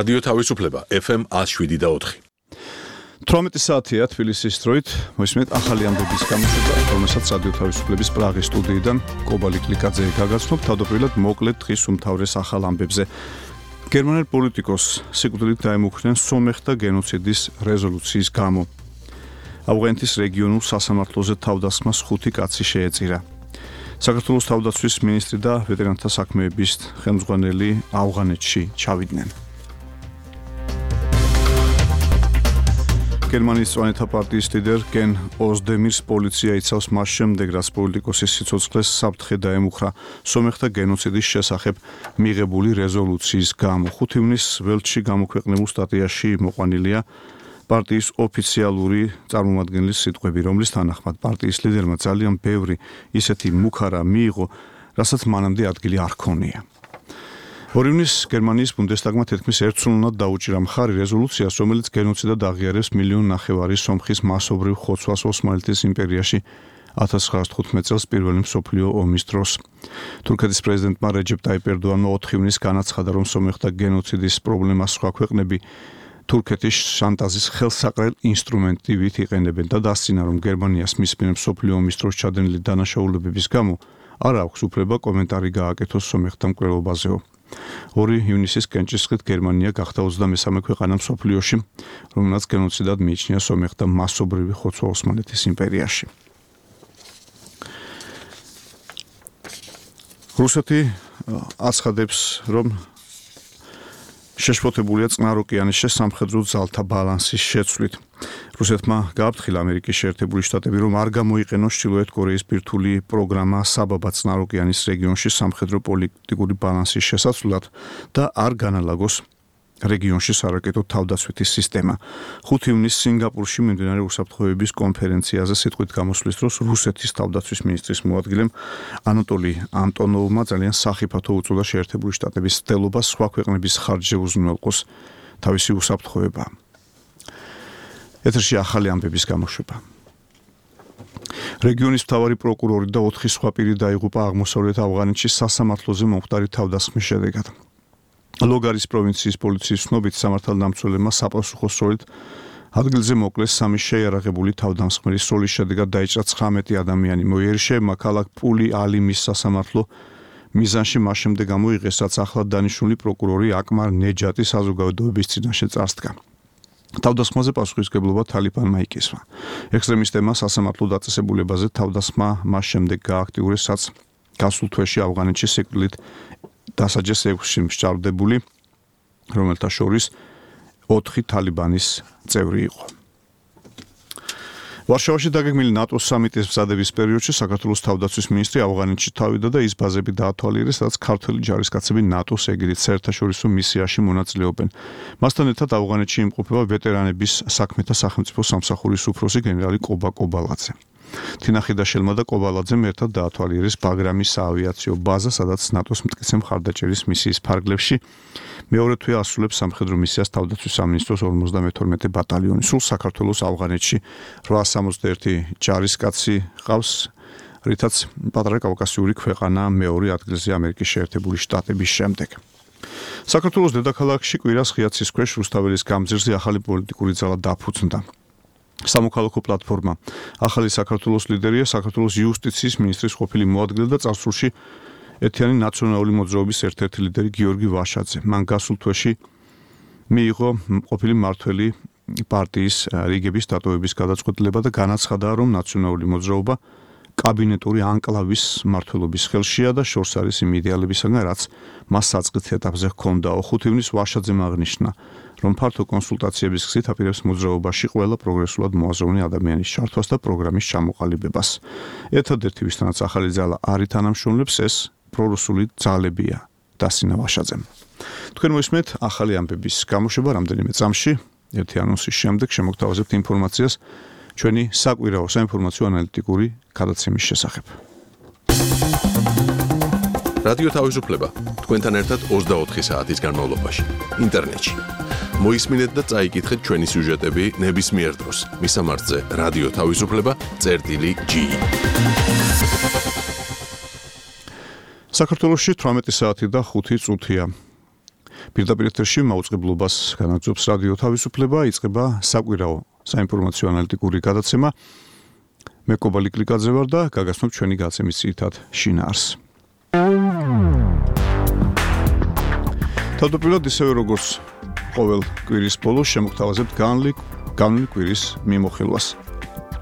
რადიო თავისუფლება FM 107.4. 18 საათია თბილისის დროით, მოისმენთ ახალი ამბების გამოშვება, რომელსაც რადიო თავისუფლების პრაღის სტუდიიდან კობალი კლიკაძე გაგაცნობ თავდაპირველად მოკლედ დღის უმთავრეს ახალ ამბებზე. გერმანელ პოლიტიკოსს სიკვდილით დაემუქრნენ სომეხთა გენოციდის რეზოლუციის გამო. ავღანეთის რეგიონულ სასამართლოზე თავდასხმას 5 კაცი შეეწირა. საქართველოს თავდაცვის მინისტრი და ვეტერანთა საქმეების ხელმძღვანელი ავღანეთში ჩავიდნენ. გერმანიის წვანეთა პარტიის ლიდერ გენ ოზდემირს პოლიცია იცავს მას შემდეგ, რაც პოლიტიკოსის სიცოცხლეს საფრთხე დაემუქრა სომეხთა გენოციდის შესახებ მიღებული რეზოლუციის გამო. 5 ივნის ველჩში გამოქვეყნებულ სტატიაში მოყვანილია პარტიის ოფიციალური წარმომადგენლის სიტყვები, რომლის თანახმად პარტიის ლიდერმა ძალიან ბევრი ისეთი მუქარა მიიღო, რასაც მანამდე ადგილი არ ჰქონია. 2 ივნის გერმანიის ბუნდესტაგმა თითქმის ერთსულოვნად დაუჭირა მხარი რეზოლუციას, რომელიც გენოციდად აღიარებს 1,5 მილიონი სომხის მასობრივ ხოცვას ოსმალეთის იმპერიაში 1915 წელს პირველი მსოფლიო ომის დროს. თურქეთის პრეზიდენტმა რეჯეპ ტაიპ ერდოანმა 4 ივნის განაცხადა, რომ სომეხთა გენოციდის პრობლემას სხვა ქვეყნები თურქეთის შანტაჟის ხელსაყრელ ინსტრუმენტივით იყენებენ და დასცინა, რომ გერმანიას მის მიერ მსოფლიო ომის დროს ჩადენილი დანაშაულებების გამო არ აქვს უფლება კომენტარი გააკეთოს სომეხთა მკვლელობაზეო. 2 ივნისის კენჭისყრით გერმანია გახდა 23 ქვეყანა მსოფლიოში, რომელსაც გენოციდად მიიჩნია სომეხთა მასობრივი ხოცვა ოსმალეთის იმპერიაში. რუსეთი აცხადებს, რომ შეშფოთებულია წყნარ ოკეანეში სამხედრო ძალთა ბალანსის შეცვლით. რუსეთმა გააფრთხილა ამერიკის შეერთებული შტატები, რომ არ გამოიყენოს ჩრდილოეთ კორეის ბირთვული პროგრამა საბაბა წყნარ ოკეანის რეგიონში სამხედრო პოლიტიკური ბალანსის შესაცვლად და არ განალაგოს რეგიონში სარაკეტო თავდაცვითი სისტემა. 5 ივნის სინგაპურში მიმდინარე უსაფრთხოების კონფერენციაზე სიტყვით გამოსვლის დროს რუსეთის თავდაცვის მინისტრის მოადგილემ ანატოლი ანტონოვმა ძალიან სახიფათო უწოდა შეერთებული შტატების ცდილობას სხვა ქვეყნების ხარჯზე უზრუნველყოს თავისი უსაფრთხოება. ეთერში ახალი ამბების გამოშვება. რეგიონის მთავარი პროკურორი და 4 სხვა პირი დაიღუპა აღმოსავლეთ ავღანეთში სასამართლოზე მომხდარი თავდასხმის შედეგად. ლოგარის პროვინციის პოლიციის ცნობით სამართალდამცველებმა საპასუხო სროლით ადგილზე მოკლეს 3 შეიარაღებული თავდამსხმელის სროლის შედეგად დაიჭრა 19 ადამიანი. მოიერიშეებმა ქალაქ პული ალიმის სასამართლო მიზანში მას შემდეგ გამოიღეს, რაც ახლად დანიშნული პროკურორი აკმარ ნეჯატი საზოგადოების წინაშე წარსდგა. თავდასხმაზე პასუხისმგებლობა თალიბანმა იკისრა. ექსტრემისტებმა სასამართლო დაწესებულებაზე თავდასხმა მას შემდეგ გააქტიურეს, რაც გასულ თვეში ავღანეთში სიკვდილით დასაჯეს 6 მსჯავრდებული, რომელთა შორის 4 თალიბანის წევრი იყო. ვარშავაში დაგეგმილი ნატოს სამიტის მზადების პერიოდში საქართველოს თავდაცვის მინისტრი ავღანეთში თავიდა და ის ბაზები დაათვალიერეს, სადაც ქართველი ჯარისკაცები ნატოს ეგიდით საერთაშორისო მისიაში მონაწილეობენ. მასთან ერთად ავღანეთში იმყოფება ვეტერანების საქმეთა სახელმწიფო სამსახურის უფროსი გენერალი კობა კობალაძე. თინახიდაშელმა და კობალაძემ ერთად დაათვალიერეს ბაგრამის საავიაციო ბაზა, სადაც ნატოს მტკიცე მხარდაჭერის მისიის ფარგლებში მეორე თვე ასრულებს სამხედრო მისიას თავდაცვის სამინისტროს 52 ბატალიონი. სულ საქართველოს ავღანეთში 861 ჯარისკაცი ყავს, რითაც პატარა კავკასიური ქვეყანა მეორე ადგილზე ამერიკის შეერთებული შტატების შემდეგ. საქართველოს დედაქალაქში კვირას ღია ცის ქვეშ რუსთაველის გამზირზე ახალი პოლიტიკური ძალა დაფუძნდა. სამოქალაქო პლატფორმა ახალი საქართველოს ლიდერია საქართველოს იუსტიციის მინისტრის ყოფილი მოადგილე და წარსულში ეთიანი ნაციონალური მოძრაობის ერთ-ერთი ლიდერი გიორგი ვაშაძე. მან გასულ თვეში მიიღო ყოფილი მმართველი პარტიის რიგების დატოვების გადაწყვეტილება და განაცხადა, რომ ნაციონალური მოძრაობა კაბინეტური ანკლავის მმართველობის ხელშია და შორს არის იმ იდეალებისაგან, რაც მას საწყის ეტაპზე ჰქონდაო. 5 ივნის ვაშაძემ აღნიშნა, რომ ფართო კონსულტაციების გზით აპირებს მოძრაობაში ყველა პროგრესულად მოაზროვნე ადამიანის ჩართვას და პროგრამის ჩამოყალიბებას. ერთადერთი ვისთანაც ახალი ძალა არ ითანამშრომლებს, ეს პრორუსული ძალებია, დასცინა ვაშაძემ. თქვენ მოისმენთ ახალი ამბების გამოშვება რამდენიმე წამში, ერთი ანონსის შემდეგ შემოგთავაზებთ ინფორმაციას ჩვენი საკვირაო საინფორმაციო ანალიტიკური გადაცემის შესახებ. რადიო თავისუფლება თქვენთან ერთად 24 საათის განმავლობაში ინტერნეტში. მოისმინეთ და წაიკითხეთ ჩვენი სიუჟეტები ნებისმიერ დროს მისამართზე radioთავისუფლება.gi. საქართველოში 18 საათი და 5 წუთია. პირდაპირ ეთერში მაუწყებლობას განაგრძობს რადიო თავისუფლება, იწყება საკვირაო საინფორმაციო ანალიტიკური გადაცემა. მე კობალი კლიკაძე ვარ და გაგაცნობ ჩვენი გადაცემის ძირითად შინაარსს. თავდაპირველად ისევე როგორც ყოველ კვირის ბოლოს შემოგთავაზებთ განვლილი კვირის მიმოხილვას.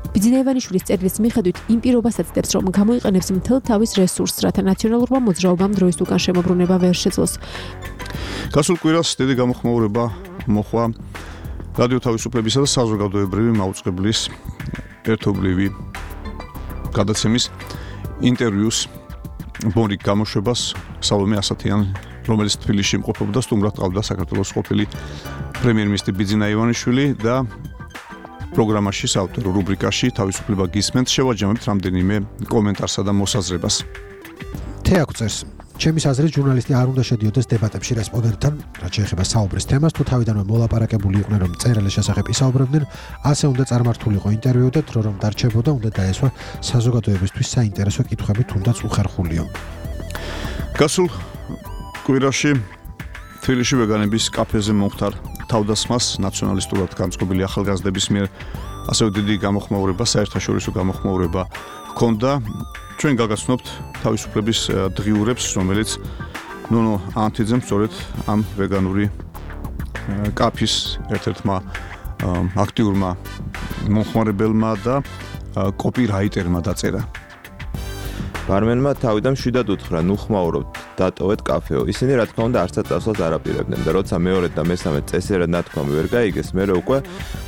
ბიძინაევანიშვილის წერილის მიხედვით იმ პირობასაც ცდებს, რომ გამოიყენებს მთელ თავის რესურსს, რათა ნაციონალურმა მოძრაობამ დროის უკან შემოbrunება ვერ შეძლოს. გასულ კვირას დიდი გამოხმაურება მოხვა რადიო თავისუფლებისა და საზოგადოებრივი მაუწყებლის ერთობლივი გადაცემის ინტერვიუს ბონიკ გამოშვებას სალომე ასათიანი, რომელიც თბილისში იმყოფებოდა, სტუმრად ყავდა საქართველოს ყოფილი პრემიერ-მინისტრი ბიძინაევანიშვილი და პროგრამაში საავტორო რუბრიკაში თავისუფლება გისმენთ შევაჯამებთ რამდენიმე კომენტარსა და მოსაზრებას. თეაკ წერს ჩემის აზრით ჟურნალისტი არ უნდა შედიოდეს დებატებში რესპონდენტთან, რაც შეეხება საუბრის თემას, თუ თავიდანვე მოლაპარაკებული იყვნენ, რომ წერილების შესახებ ისაუბრებდნენ, ასე უნდა წარმართულიყო ინტერვიუ და დრო რომ დარჩებოდა, უნდა დაესვა საზოგადოებისთვის საინტერესო კითხვები, თუნდაც უხერხულიო. გასულ კვირაში თბილისში ვეგანების კაფეზე მომხდარ თავდასხმას ნაციონალისტურად განწყობილი ახალგაზრდების მიერ ასევე დიდი გამოხმაურება, საერთაშორისო გამოხმაურება ჰქონდა. ჩვენ გაგაცნობთ თავისუფლების დღიურებს, რომელიც ნონო ანთიძემ სწორედ ამ ვეგანური კაფის ერთ-ერთმა აქტიურმა მომხმარებელმა და კოპირაიტერმა დაწერა. ბარმენმა თავიდან მშვიდად უთხრა, ნუ ხმაურობთ, დატოვეთ კაფეო. ისინი რა თქმა უნდა არცად წასვლას არ აპირებდნენ და როცა მეორედ და მესამედ წესიერად ნათქვამი ვერ გაიგეს, მერე უკვე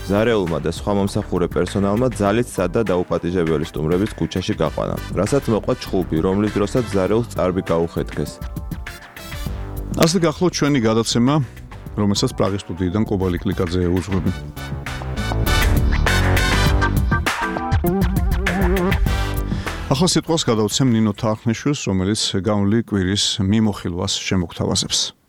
ზარეულმა და სხვა მომსახურე პერსონალმა ძალით სად და დაუპატიჟებელი სტუმრების ქუჩაში გაყვანა. რასაც მოყვა ჩხუბი, რომლის დროსაც ზარეულს წარბი გაუხეთქეს. ასე გახლავთ ჩვენი გადაცემა, რომელსაც პრაღის სტუდიიდან კობალი კლიკაძე უძღვები. ახლა სიტყვას გადავცემ ნინო თარხნიშვილს, რომელიც განვლილი კვირის მიმოხილვას შემოგთავაზებს.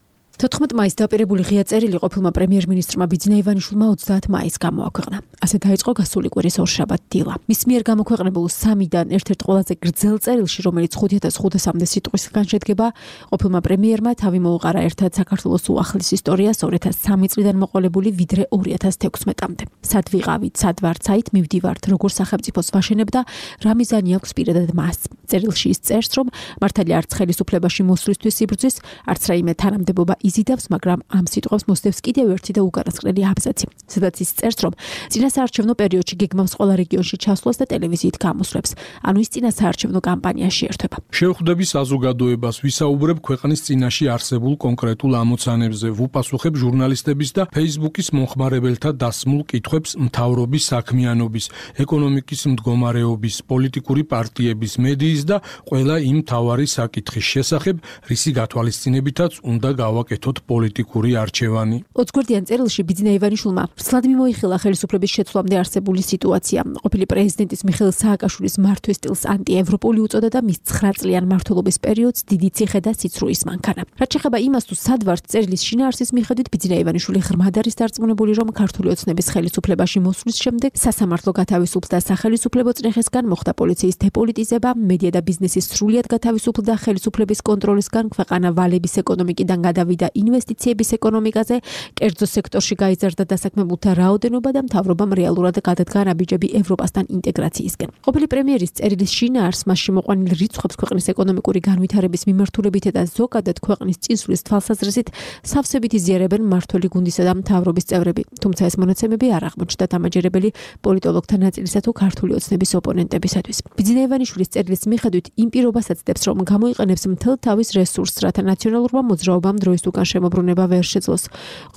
14 მაისს დაპირებული ღია წერილი ყოფილმა პრემიერ-მინისტრმა ბიძინაევანიშვილმა 30 მაისს გამოაქვეყნა. ასე დაიწყო გასული კვირის ორშაბათ დილა. მის მიერ გამოქვეყნებულ 3-დან ერთ-ერთ ყველაზე გრძელ წერილში, რომელიც 5500-მდე სიტყვისგან შედგება, ყოფილმა პრემიერმა თავი მოუყარა ერთად საქართველოს უახლის ისტორიას 2003 წლიდან მოყოლებული ვიდრე 2016-მდე. სად ვიყავით, სად ვართ, საით მივდივართ, როგორ სახელმწიფოს ვაშენებ და რა მიზანი აქვს პირადად მას. წერილში ის წერს, რომ მართალია არც ხელისუფლებაში მოსვლისთვის სიბრძვის, არც რაიმე თანამდებობა იზიდავს, მაგრამ ამ სიტყვას მოსდევს კიდევ ერთი და უკანასკნელი აბზაცი. სადაც ის წერს, რომ წინასაარჩევნო პერიოდში გეგმავს ყველა რეგიონში ჩასვლას და ტელევიზიით გამოსვლებს. ანუ ის წინასაარჩევნო კამპანიაში ერთვება. შევხვდები საზოგადოებას, ვისაუბრებ ქვეყნის წინაშე არსებულ კონკრეტულ ამოცანებზე, ვუპასუხებ ჟურნალისტების და Facebook-ის მომხმარებელთა დასმულ კითხვებს მთავრობის საქმიანობის, ეკონომიკის მდგომარეობის, პოლიტიკური პარტიების, მედიის და ყველა იმ მთავარი საკითხის შესახებ, რისი გათვალისწინებითაც უნდა გავაკეთოთ პოლიტიკური არჩევანი. 20 გვერდიან წერილში ბიძინაევანიშვილმა სლად მიმოიხილა ხელისუფლების შეცვლამდე არსებული სიტუაცია. ყოფილი პრეზიდენტის მიხეილ სააკაშვილის მართვის სტილს ანტიევროპული უწოდა და მის 9 წლიან მმართველობის პერიოდს დიდი ციხე და სიცრუის მანქანა. რაც შეეხება იმას, თუ სად ვართ წერილის შინაარსის მიხედვით, ბიძინაევანიშვილი ღრმად არის დარწმუნებული, რომ ქართული ოცნების ხელისუფლებაში მოსვლის შემდეგ სასამართლო გათავისუფლდა და სახელისუფლებო წნეხისგან მოხდა პოლიციის დეპოლიტიზება, მედია და ბიზნესის სრულიად გათავისუფლდა ხელისუფლების კონტროლისგან, ქვეყანა ვალების ეკონომიკიდან გადავიდა ინვესტიციების ეკონომიკაზე, კერძო სექტორში გაიზარდა დასაქმებულთა რაოდენობა და მთავრობამ რეალურად გადადგა ნაბიჯები ევროპასთან ინტეგრაციისკენ. ყოფილი პრემიერის წერილის შინაარსს მასში მოყვანილ რიცხვებს ქვეყნის ეკონომიკური განვითარების მიმართულებით და ზოგადად ქვეყნის წინსვლის თვალსაზრისით სავსებით იზიარებენ მმართველი გუნდისა და მთავრობის წევრები. თუმცა ეს მონაცემები არ აღმოჩნდა დამაჯერებელი პოლიტოლოგთა ნაწილისა თუ ქართული ოცნების ოპონენტებისათვის. ბიძინაევანიშვილის წერილის მიხედვით იმ პირობასაც ცდებს, რომ გამოიყენებს მთელ თავის რესურსს, რათა ნაციონალურმა მოძრაობამ დროის უკან შემოbrunება ვერ შეძლოს.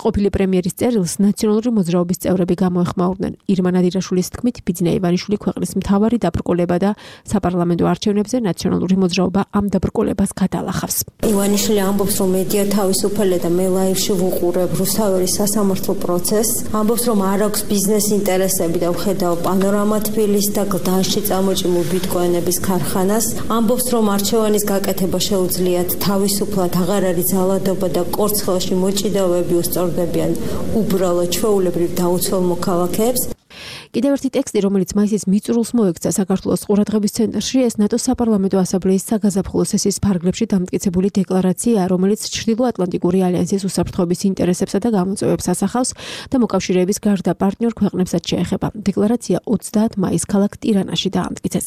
ყოფილი პრემიერის წერილს ნაციონალური მოძრაობის წევრები გამოეხმაურნენ. ირმა ნადირაშვილის თქმით, ბიძინაევანიშვილი ქვეყნის მთავარი დაბრკოლება და საპარლამენტო არჩევნებზე ნაციონალური მოძრაობა ამ დაბრკოლებას გადალახავს. ივანიშვილი ამბობს, რომ მედია თავისუფალია და მე ლაივში ვუყურებ რუსთაველის სასამართლო პროცესს. ამბობს, რომ არ აქვს ბიზნეს ინტერესები და ვხედავ პანორამა თბილისს და გლდანში წამოჭიმულ ბიტკოინების ქარხანას. ამბობს, რომ არჩევანის გაკეთება შეუძლიათ თავისუფლად, აღარ არის ძალადობა და კორცხელში მოჭიდავეები უსწორდებიან უბრალოდ ჩვეულებრივ დაუცველ მოქალაქეებს. კიდევ ერთი ტექსტი, რომელიც მაისის მიწურულს მოექცა საქართველოს ყურადღების ცენტრში, ეს ნატოს საპარლამენტო ასამბლეის საგაზაფხულო სესიის ფარგლებში დამტკიცებული დეკლარაციაა, რომელიც ჩრდილოატლანტიკური ალიანსის უსაფრთხოების ინტერესებსა და გამოწვევებს ასახავს და მოკავშირეების გარდა პარტნიორ ქვეყნებსაც შეეხება. დეკლარაცია 30 მაისს ქალაქ ტირანაში დაამტკიცეს.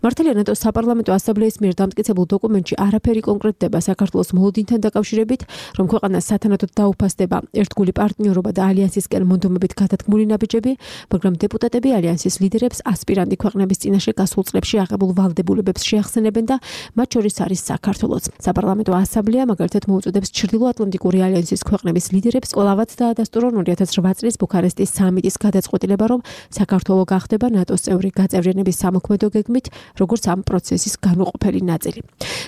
მართალია ნატოს საპარლამენტო ასამბლეის მიერ დამტკიცებულ დოკუმენტში არაფერი კონკრეტდება საქართველოს მოლოდინთან დაკავშირებით, რომ ქვეყანას სათანადოდ დაუფასდება ერთგული პარტნიორობა და ალიანსისკენ მონდომებით გადადგმული ნაბიჯები, მაგრამ დეპუტატები ალიანსის ლიდერებს ასპირანტი ქვეყნების წინაშე გასულ წლებში აღებულ ვალდებულებებს შეახსენებენ და მათ შორის არის საქართველოც. საპარლამენტო ასამბლეა მაგალითად მოუწოდებს ჩრდილოატლანტიკური ალიანსის ქვეყნების ლიდერებს ყველავად დაადასტურონ 2008 წლის ბუქარესტის სამიტის გადაწყვეტილება, რომ საქართველო გახდება ნატოს წევრი გაწევრიანების სამოქმედო გეგმით, როგორც ამ პროცესის განუყოფელი ნაწილი.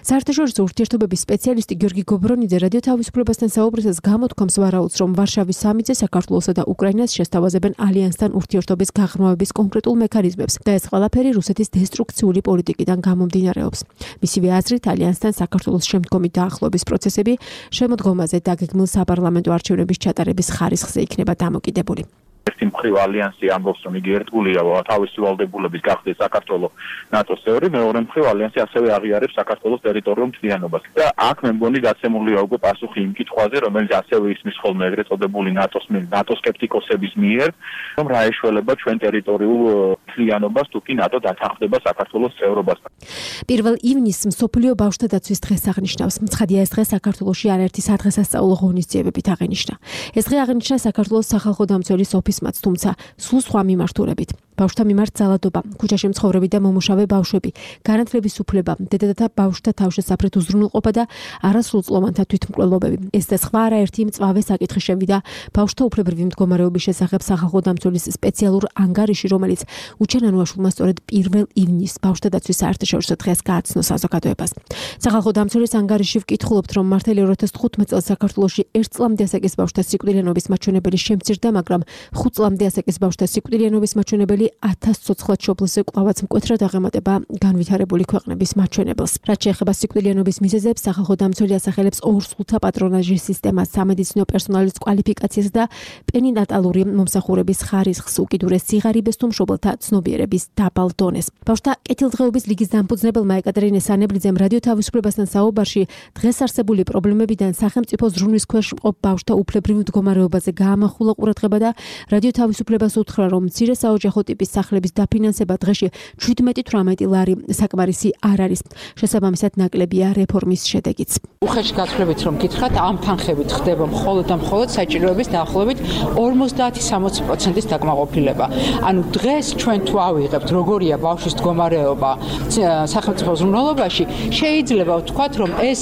საერთაშორისო ურთიერთობების სპეციალისტი გიორგი გობრონიძე რადიო თავისუფლებასთან საუბრისას გამოთქვამს ვარაუდს, რომ ვარშავის სამიტზე საქართველოსა და უკრაინას შესთავაზებენ ალიანსთან ურთიერთობის გაღრმავების კონკრეტულ მექანიზმებს და ეს ყველაფერი რუსეთის დესტრუქციული პოლიტიკიდან გამომდინარეობს. მისივე აზრით, ალიანსთან საქართველოს შემდგომი დაახლოების პროცესები შემოდგომაზე დაგეგმილ საპარლამენტო არჩევნების ჩატარების ხარისხზე იქნება დამოკიდებული. ერთი მხრივ ალიანსი ამბობს, რომ იგი ერთგულია თავისი ვალდებულების გახდეს საქართველოს ნატოს წევრი, მეორე მხრივ ალიანსი ასევე აღიარებს საქართველოს ტერიტორიულ მთლიანობას. და აქ მე მგონი გაცემულია უკვე პასუხი იმ კითხვაზე, რომელიც ასევე ისმის ხოლმე ეგრეთ წოდებული ნატოს სკეპტიკოსების მიერ, რომ რა ეშველება ჩვენ ტერიტორიულ მთლიანობას თუ კი ნატო დათანხმდება საქართველოს წევრობასთან. 1 ივნისს მსოფლიო ბავშვთა დაცვის დღეს აღნიშნავს. ცხადია, ეს დღე საქართველოში არაერთი სადღესასწაულო ღონისძიებებით აღენიშნა. ეს დღე აღენიშნა საქართველოს სახალხო დამცველის ოფისმაც, თუმცა სულ სხვა მიმართულებით. ბავშვთა მიმართ ძალადობა, ქუჩაში მცხოვრები და მომუშავე ბავშვები, განათლების უფლება, დედათა ბავშვთა თავშესაფრეთ უზრუნველყოფა და არასრულწლოვანთა თვითმკვლელობები. ეს და სხვა არაერთი მწვავე საკითხი შევიდა ბავშვთა უფლებრივი მდგომარეობის შესახებ სახალხო დამცველის სპეციალურ ანგარიში, რომელიც უჩენანუაშვილმა სწორედ 1 ივნისს ბავშვთა დაცვის საერთაშორისო დღეს გააცნო საზოგადოებას. სახალხო დამცველის ანგარიში ვკითხულობთ, რომ მართალია 2015 წელს საქართველოში 1 წლამდე ასაკის ბავშვთა სიკვდილიანობის მაჩვენებელი შემცირდა, მაგრამ 5 წლამდე ასაკის ბავშვთა სიკვდილიანობის მაჩვენებელი 1000 ცოცხლად შობლზე კვლავაც მკვეთრად აღემატება განვითარებული ქვეყნების მაჩვენებელს. რაც შეეხება სიკვდილიანობის მიზეზებს, სახალხო დამცველი ასახელებს ორსულთა პატრონაჟის სისტემას, სამედიცინო პერსონალის კვალიფიკაციას და პერინატალური მომსახურების ხარისხს, უკიდურეს სიღარიბეს თუ მშობელთა ცნობიერების დაბალ დონეს. ბავშვთა კეთილდღეობის ლიგის დამფუძნებელმა ეკატერინე სანებლიძემ რადიო თავისუფლებასთან საუბარში დღეს არსებული პრობლემებიდან სახელმწიფო ზრუნვის ქვეშ მყოფ ბავშვთა უფლებრივ მდგომარეობაზე გაამახვილა ყურადღება და რადიო თავისუფლებას უთხრა, რომ მცირე საოჯახო ტიპის სახლების დაფინანსება დღეში 17-18 ლარი საკმარისი არ არის. შესაბამისად ნაკლებია რეფორმის შედეგიც. უხეში გაცვლებით რომ გითხრათ, ამ თანხებით ხდება მხოლოდ და მხოლოდ საჭიროების დაახლოებით 50-60%-ის დაკმაყოფილება. ანუ დღეს ჩვენ თუ ავიღებთ როგორია ბავშვის მდგომარეობა სახელმწიფო ზრუნველობაში, შეიძლება ვთქვათ, რომ ეს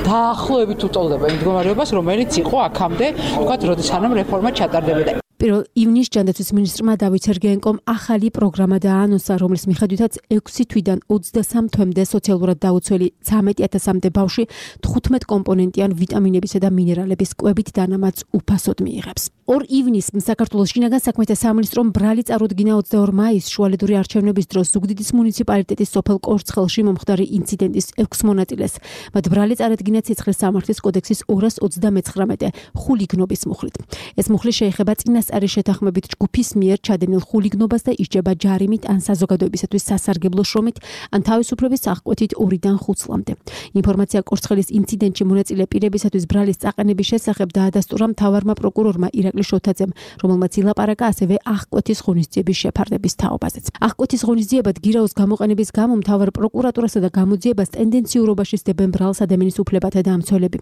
დაახლოებით უტოლდება იმ მდგომარეობას, რომელიც იყო აქამდე, ვთქვათ, როდესაც რეფორმა ჩატარდებოდა. 1 ივნისს ჯანდაცვის მინისტრმა დავით სერგეენკომ ახალი პროგრამა დაანონსა, რომლის მიხედვითაც 6 თვიდან 23 თვემდე სოციალურად დაუცველი 13000-მდე ბავშვი 15 კომპონენტიან ვიტამინებისა და მინერალების კვებით დანამატს უფასოდ მიიღებს. 2 ივნისს საქართველოს შინაგან საქმეთა სამინისტრომ ბრალი წარუდგინა 22 მაისს შუალედური არჩევნების დროს ზუგდიდის მუნიციპალიტეტის სოფელ კორცხელში მომხდარი ინციდენტის 6 მონაწილეს. მათ ბრალი წარადგინა ცეცხლის სამართლის კოდექსის 239 ხულიგნობის მუხლით. ეს მუხლი შეეხება წინასწარი შეთანხმებით ჯგუფის მიერ ჩადენილ ხულიგნობას და ისჯება ჯარიმით ან საზოგადოებისათვის სასარგებლო შრომით, ან თავისუფლების აღკვეთით 2-დან 5 წლამდე. ინფორმაცია კორცხელის ინციდენტში მონაწილე პირებისათვის ბრალის წაყენების შესახებ დაადასტურა მთავარმა პროკურორმა ირაკლი შოთაძემ, რომელმაც ილაპარაკა ასევე აღკვეთის ღონისძიების შეფარდების თაობაზეც. აღკვეთის ღონისძიებად გირაოს გამოყენების გამო მთავარ პროკურატურასა და გამოძიებას ტენდენციურობაში სდებენ ბრალს ადამიანის უფლებათა დამცველები.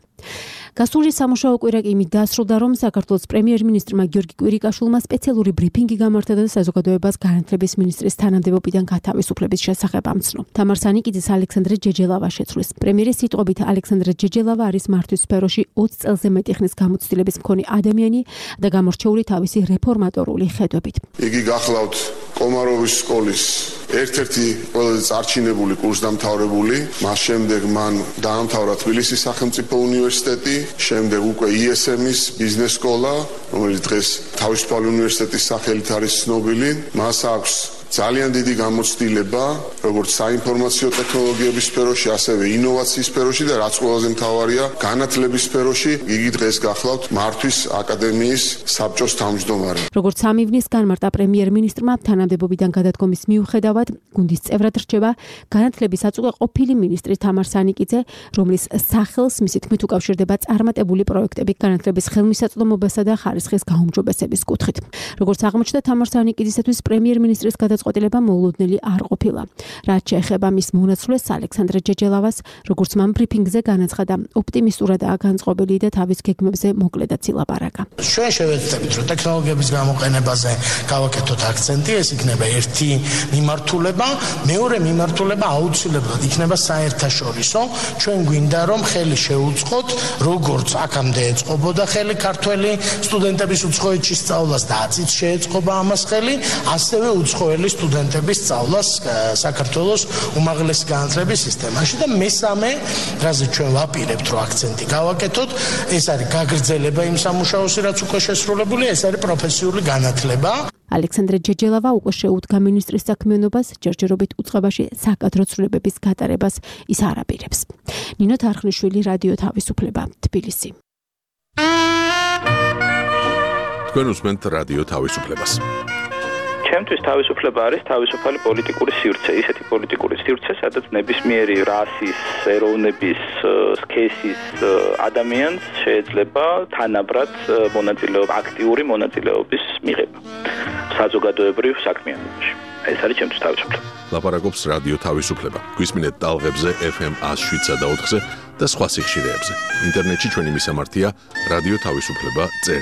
გასული სამუშაო კვირა კი იმით დაასრულდა, რომ საქართველოს პრემიერ-მინისტრმა გიორგი კვირიკაშვილმა სპეციალური ბრიფინგი გამართა და საზოგადოებას განათლების მინისტრის თანამდებობიდან გათავისუფლების შესახებ ამცნო. თამარ სანიკიძის ალექსანდრე ჯეჯელავა შეცვლის. პრემიერის სიტყვებით ალექსანდრე ჯეჯელავა არის მართვის სფეროში 20 წელზე მეტი ხნის გამოცდილების მქონე ადამიანი და გამორჩეული თავისი რეფორმატორული ხედვებით. იგი გახლავთ კომაროვის სკოლის ერთ-ერთი ყველაზე წარჩინებული კურსდამთავრებული, მას შემდეგ მან დაამთავრა თბილისის სახელმწიფო უნივერსიტეტი, შემდეგ უკვე ISM-ის ბიზნეს სკოლა, რომელიც დღეს თავისუფალი უნივერსიტეტის სახელით არის ცნობილი. მას აქვს ძალიან დიდი გამოცდილება, როგორც საინფორმაციო ტექნოლოგიების სფეროში, ასევე ინოვაციის სფეროში და რაც ყველაზე მთავარია, განათლების სფეროში. იგი დღეს გახლავთ მართვის აკადემიის საბჭოს თავმჯდომარე. როგორც სამივნის განმარტა პრემიერ-მინისტრმა, თანამდებობიდან გადადგომის მიუხედავად, გუნდის წევრად რჩება განათლების აწუხე ყოფილი მინისტრი თამარ სანიკიძე, რომლის სახელს მისი თქმით უკავშირდება წარმატებული პროექტები განათლების ხელმისაწვდომობასა და ხარისხის გაუმჯობესების კუთხით. როგორც აღმოჩნდა, თამარ სანიკიძისათვის პრემიერ-მინისტრის გადაწყვეტილება მოულოდნელი არ ყოფილა. რაც შეეხება მის მონაცვლეს ალექსანდრე ჯეჯელავას, როგორც მან ბრიფინგზე განაცხადა, ოპტიმისტურადაა განწყობილი და თავის გეგმებზე მოკლედაც ილაპარაკა. ჩვენ შევეცდებით, რომ ტექნოლოგიების გამოყენებაზე გავაკეთოთ აქცენტი, ეს იქნება ერთი მიმართულება, მეორე მიმართულება აუცილებლად იქნება საერთაშორისო. ჩვენ გვინდა, რომ ხელი შეუწყოთ, როგორც აქამდე ეწყობოდა ხელი ქართველი სტუდენტების უცხოეთში სწავლას და აწიც შეეწყობა ამას ხელი, ასევე უცხოელი სტუდენტების სწავლას საქართველოს უმაღლესი განათლების სისტემაში და მესამე, რაზე ჩვენ ვაპირებთ, რომ აქცენტი გავაკეთოთ, ეს არის გაგრძელება იმ სამუშაოსი, რაც უკვე შესრულებულია, ეს არის პროფესიული განათლება. ალექსანდრე ჯეჯელავა უკვე შეუდგა მინისტრის საქმიანობას, ჯერჯერობით უწყებაში საკადრო ცვლილებების გატარებას ის არ აპირებს. ნინო თარხნიშვილი, რადიო თავისუფლება, თბილისი. თქვენ უსმენთ რადიო თავისუფლებას. ჩემთვის თავისუფლება არის თავისუფალი პოლიტიკური სივრცე, ისეთი პოლიტიკური სივრცე, სადაც ნებისმიერი რასის, ეროვნების, სქესის ადამიანს შეიძლება თანაბრად აქტიური მონაწილეობის მიღება საზოგადოებრივ საქმიანობაში. ეს არის ჩემთვის თავისუფლება. ლაპარაკობს რადიო თავისუფლება. გვისმინეთ ტალღებზე FM 107 და 4-ზე და სხვა სიხშირეებზე. ინტერნეტში ჩვენი მისამართია რადიო თავისუფლება.ge.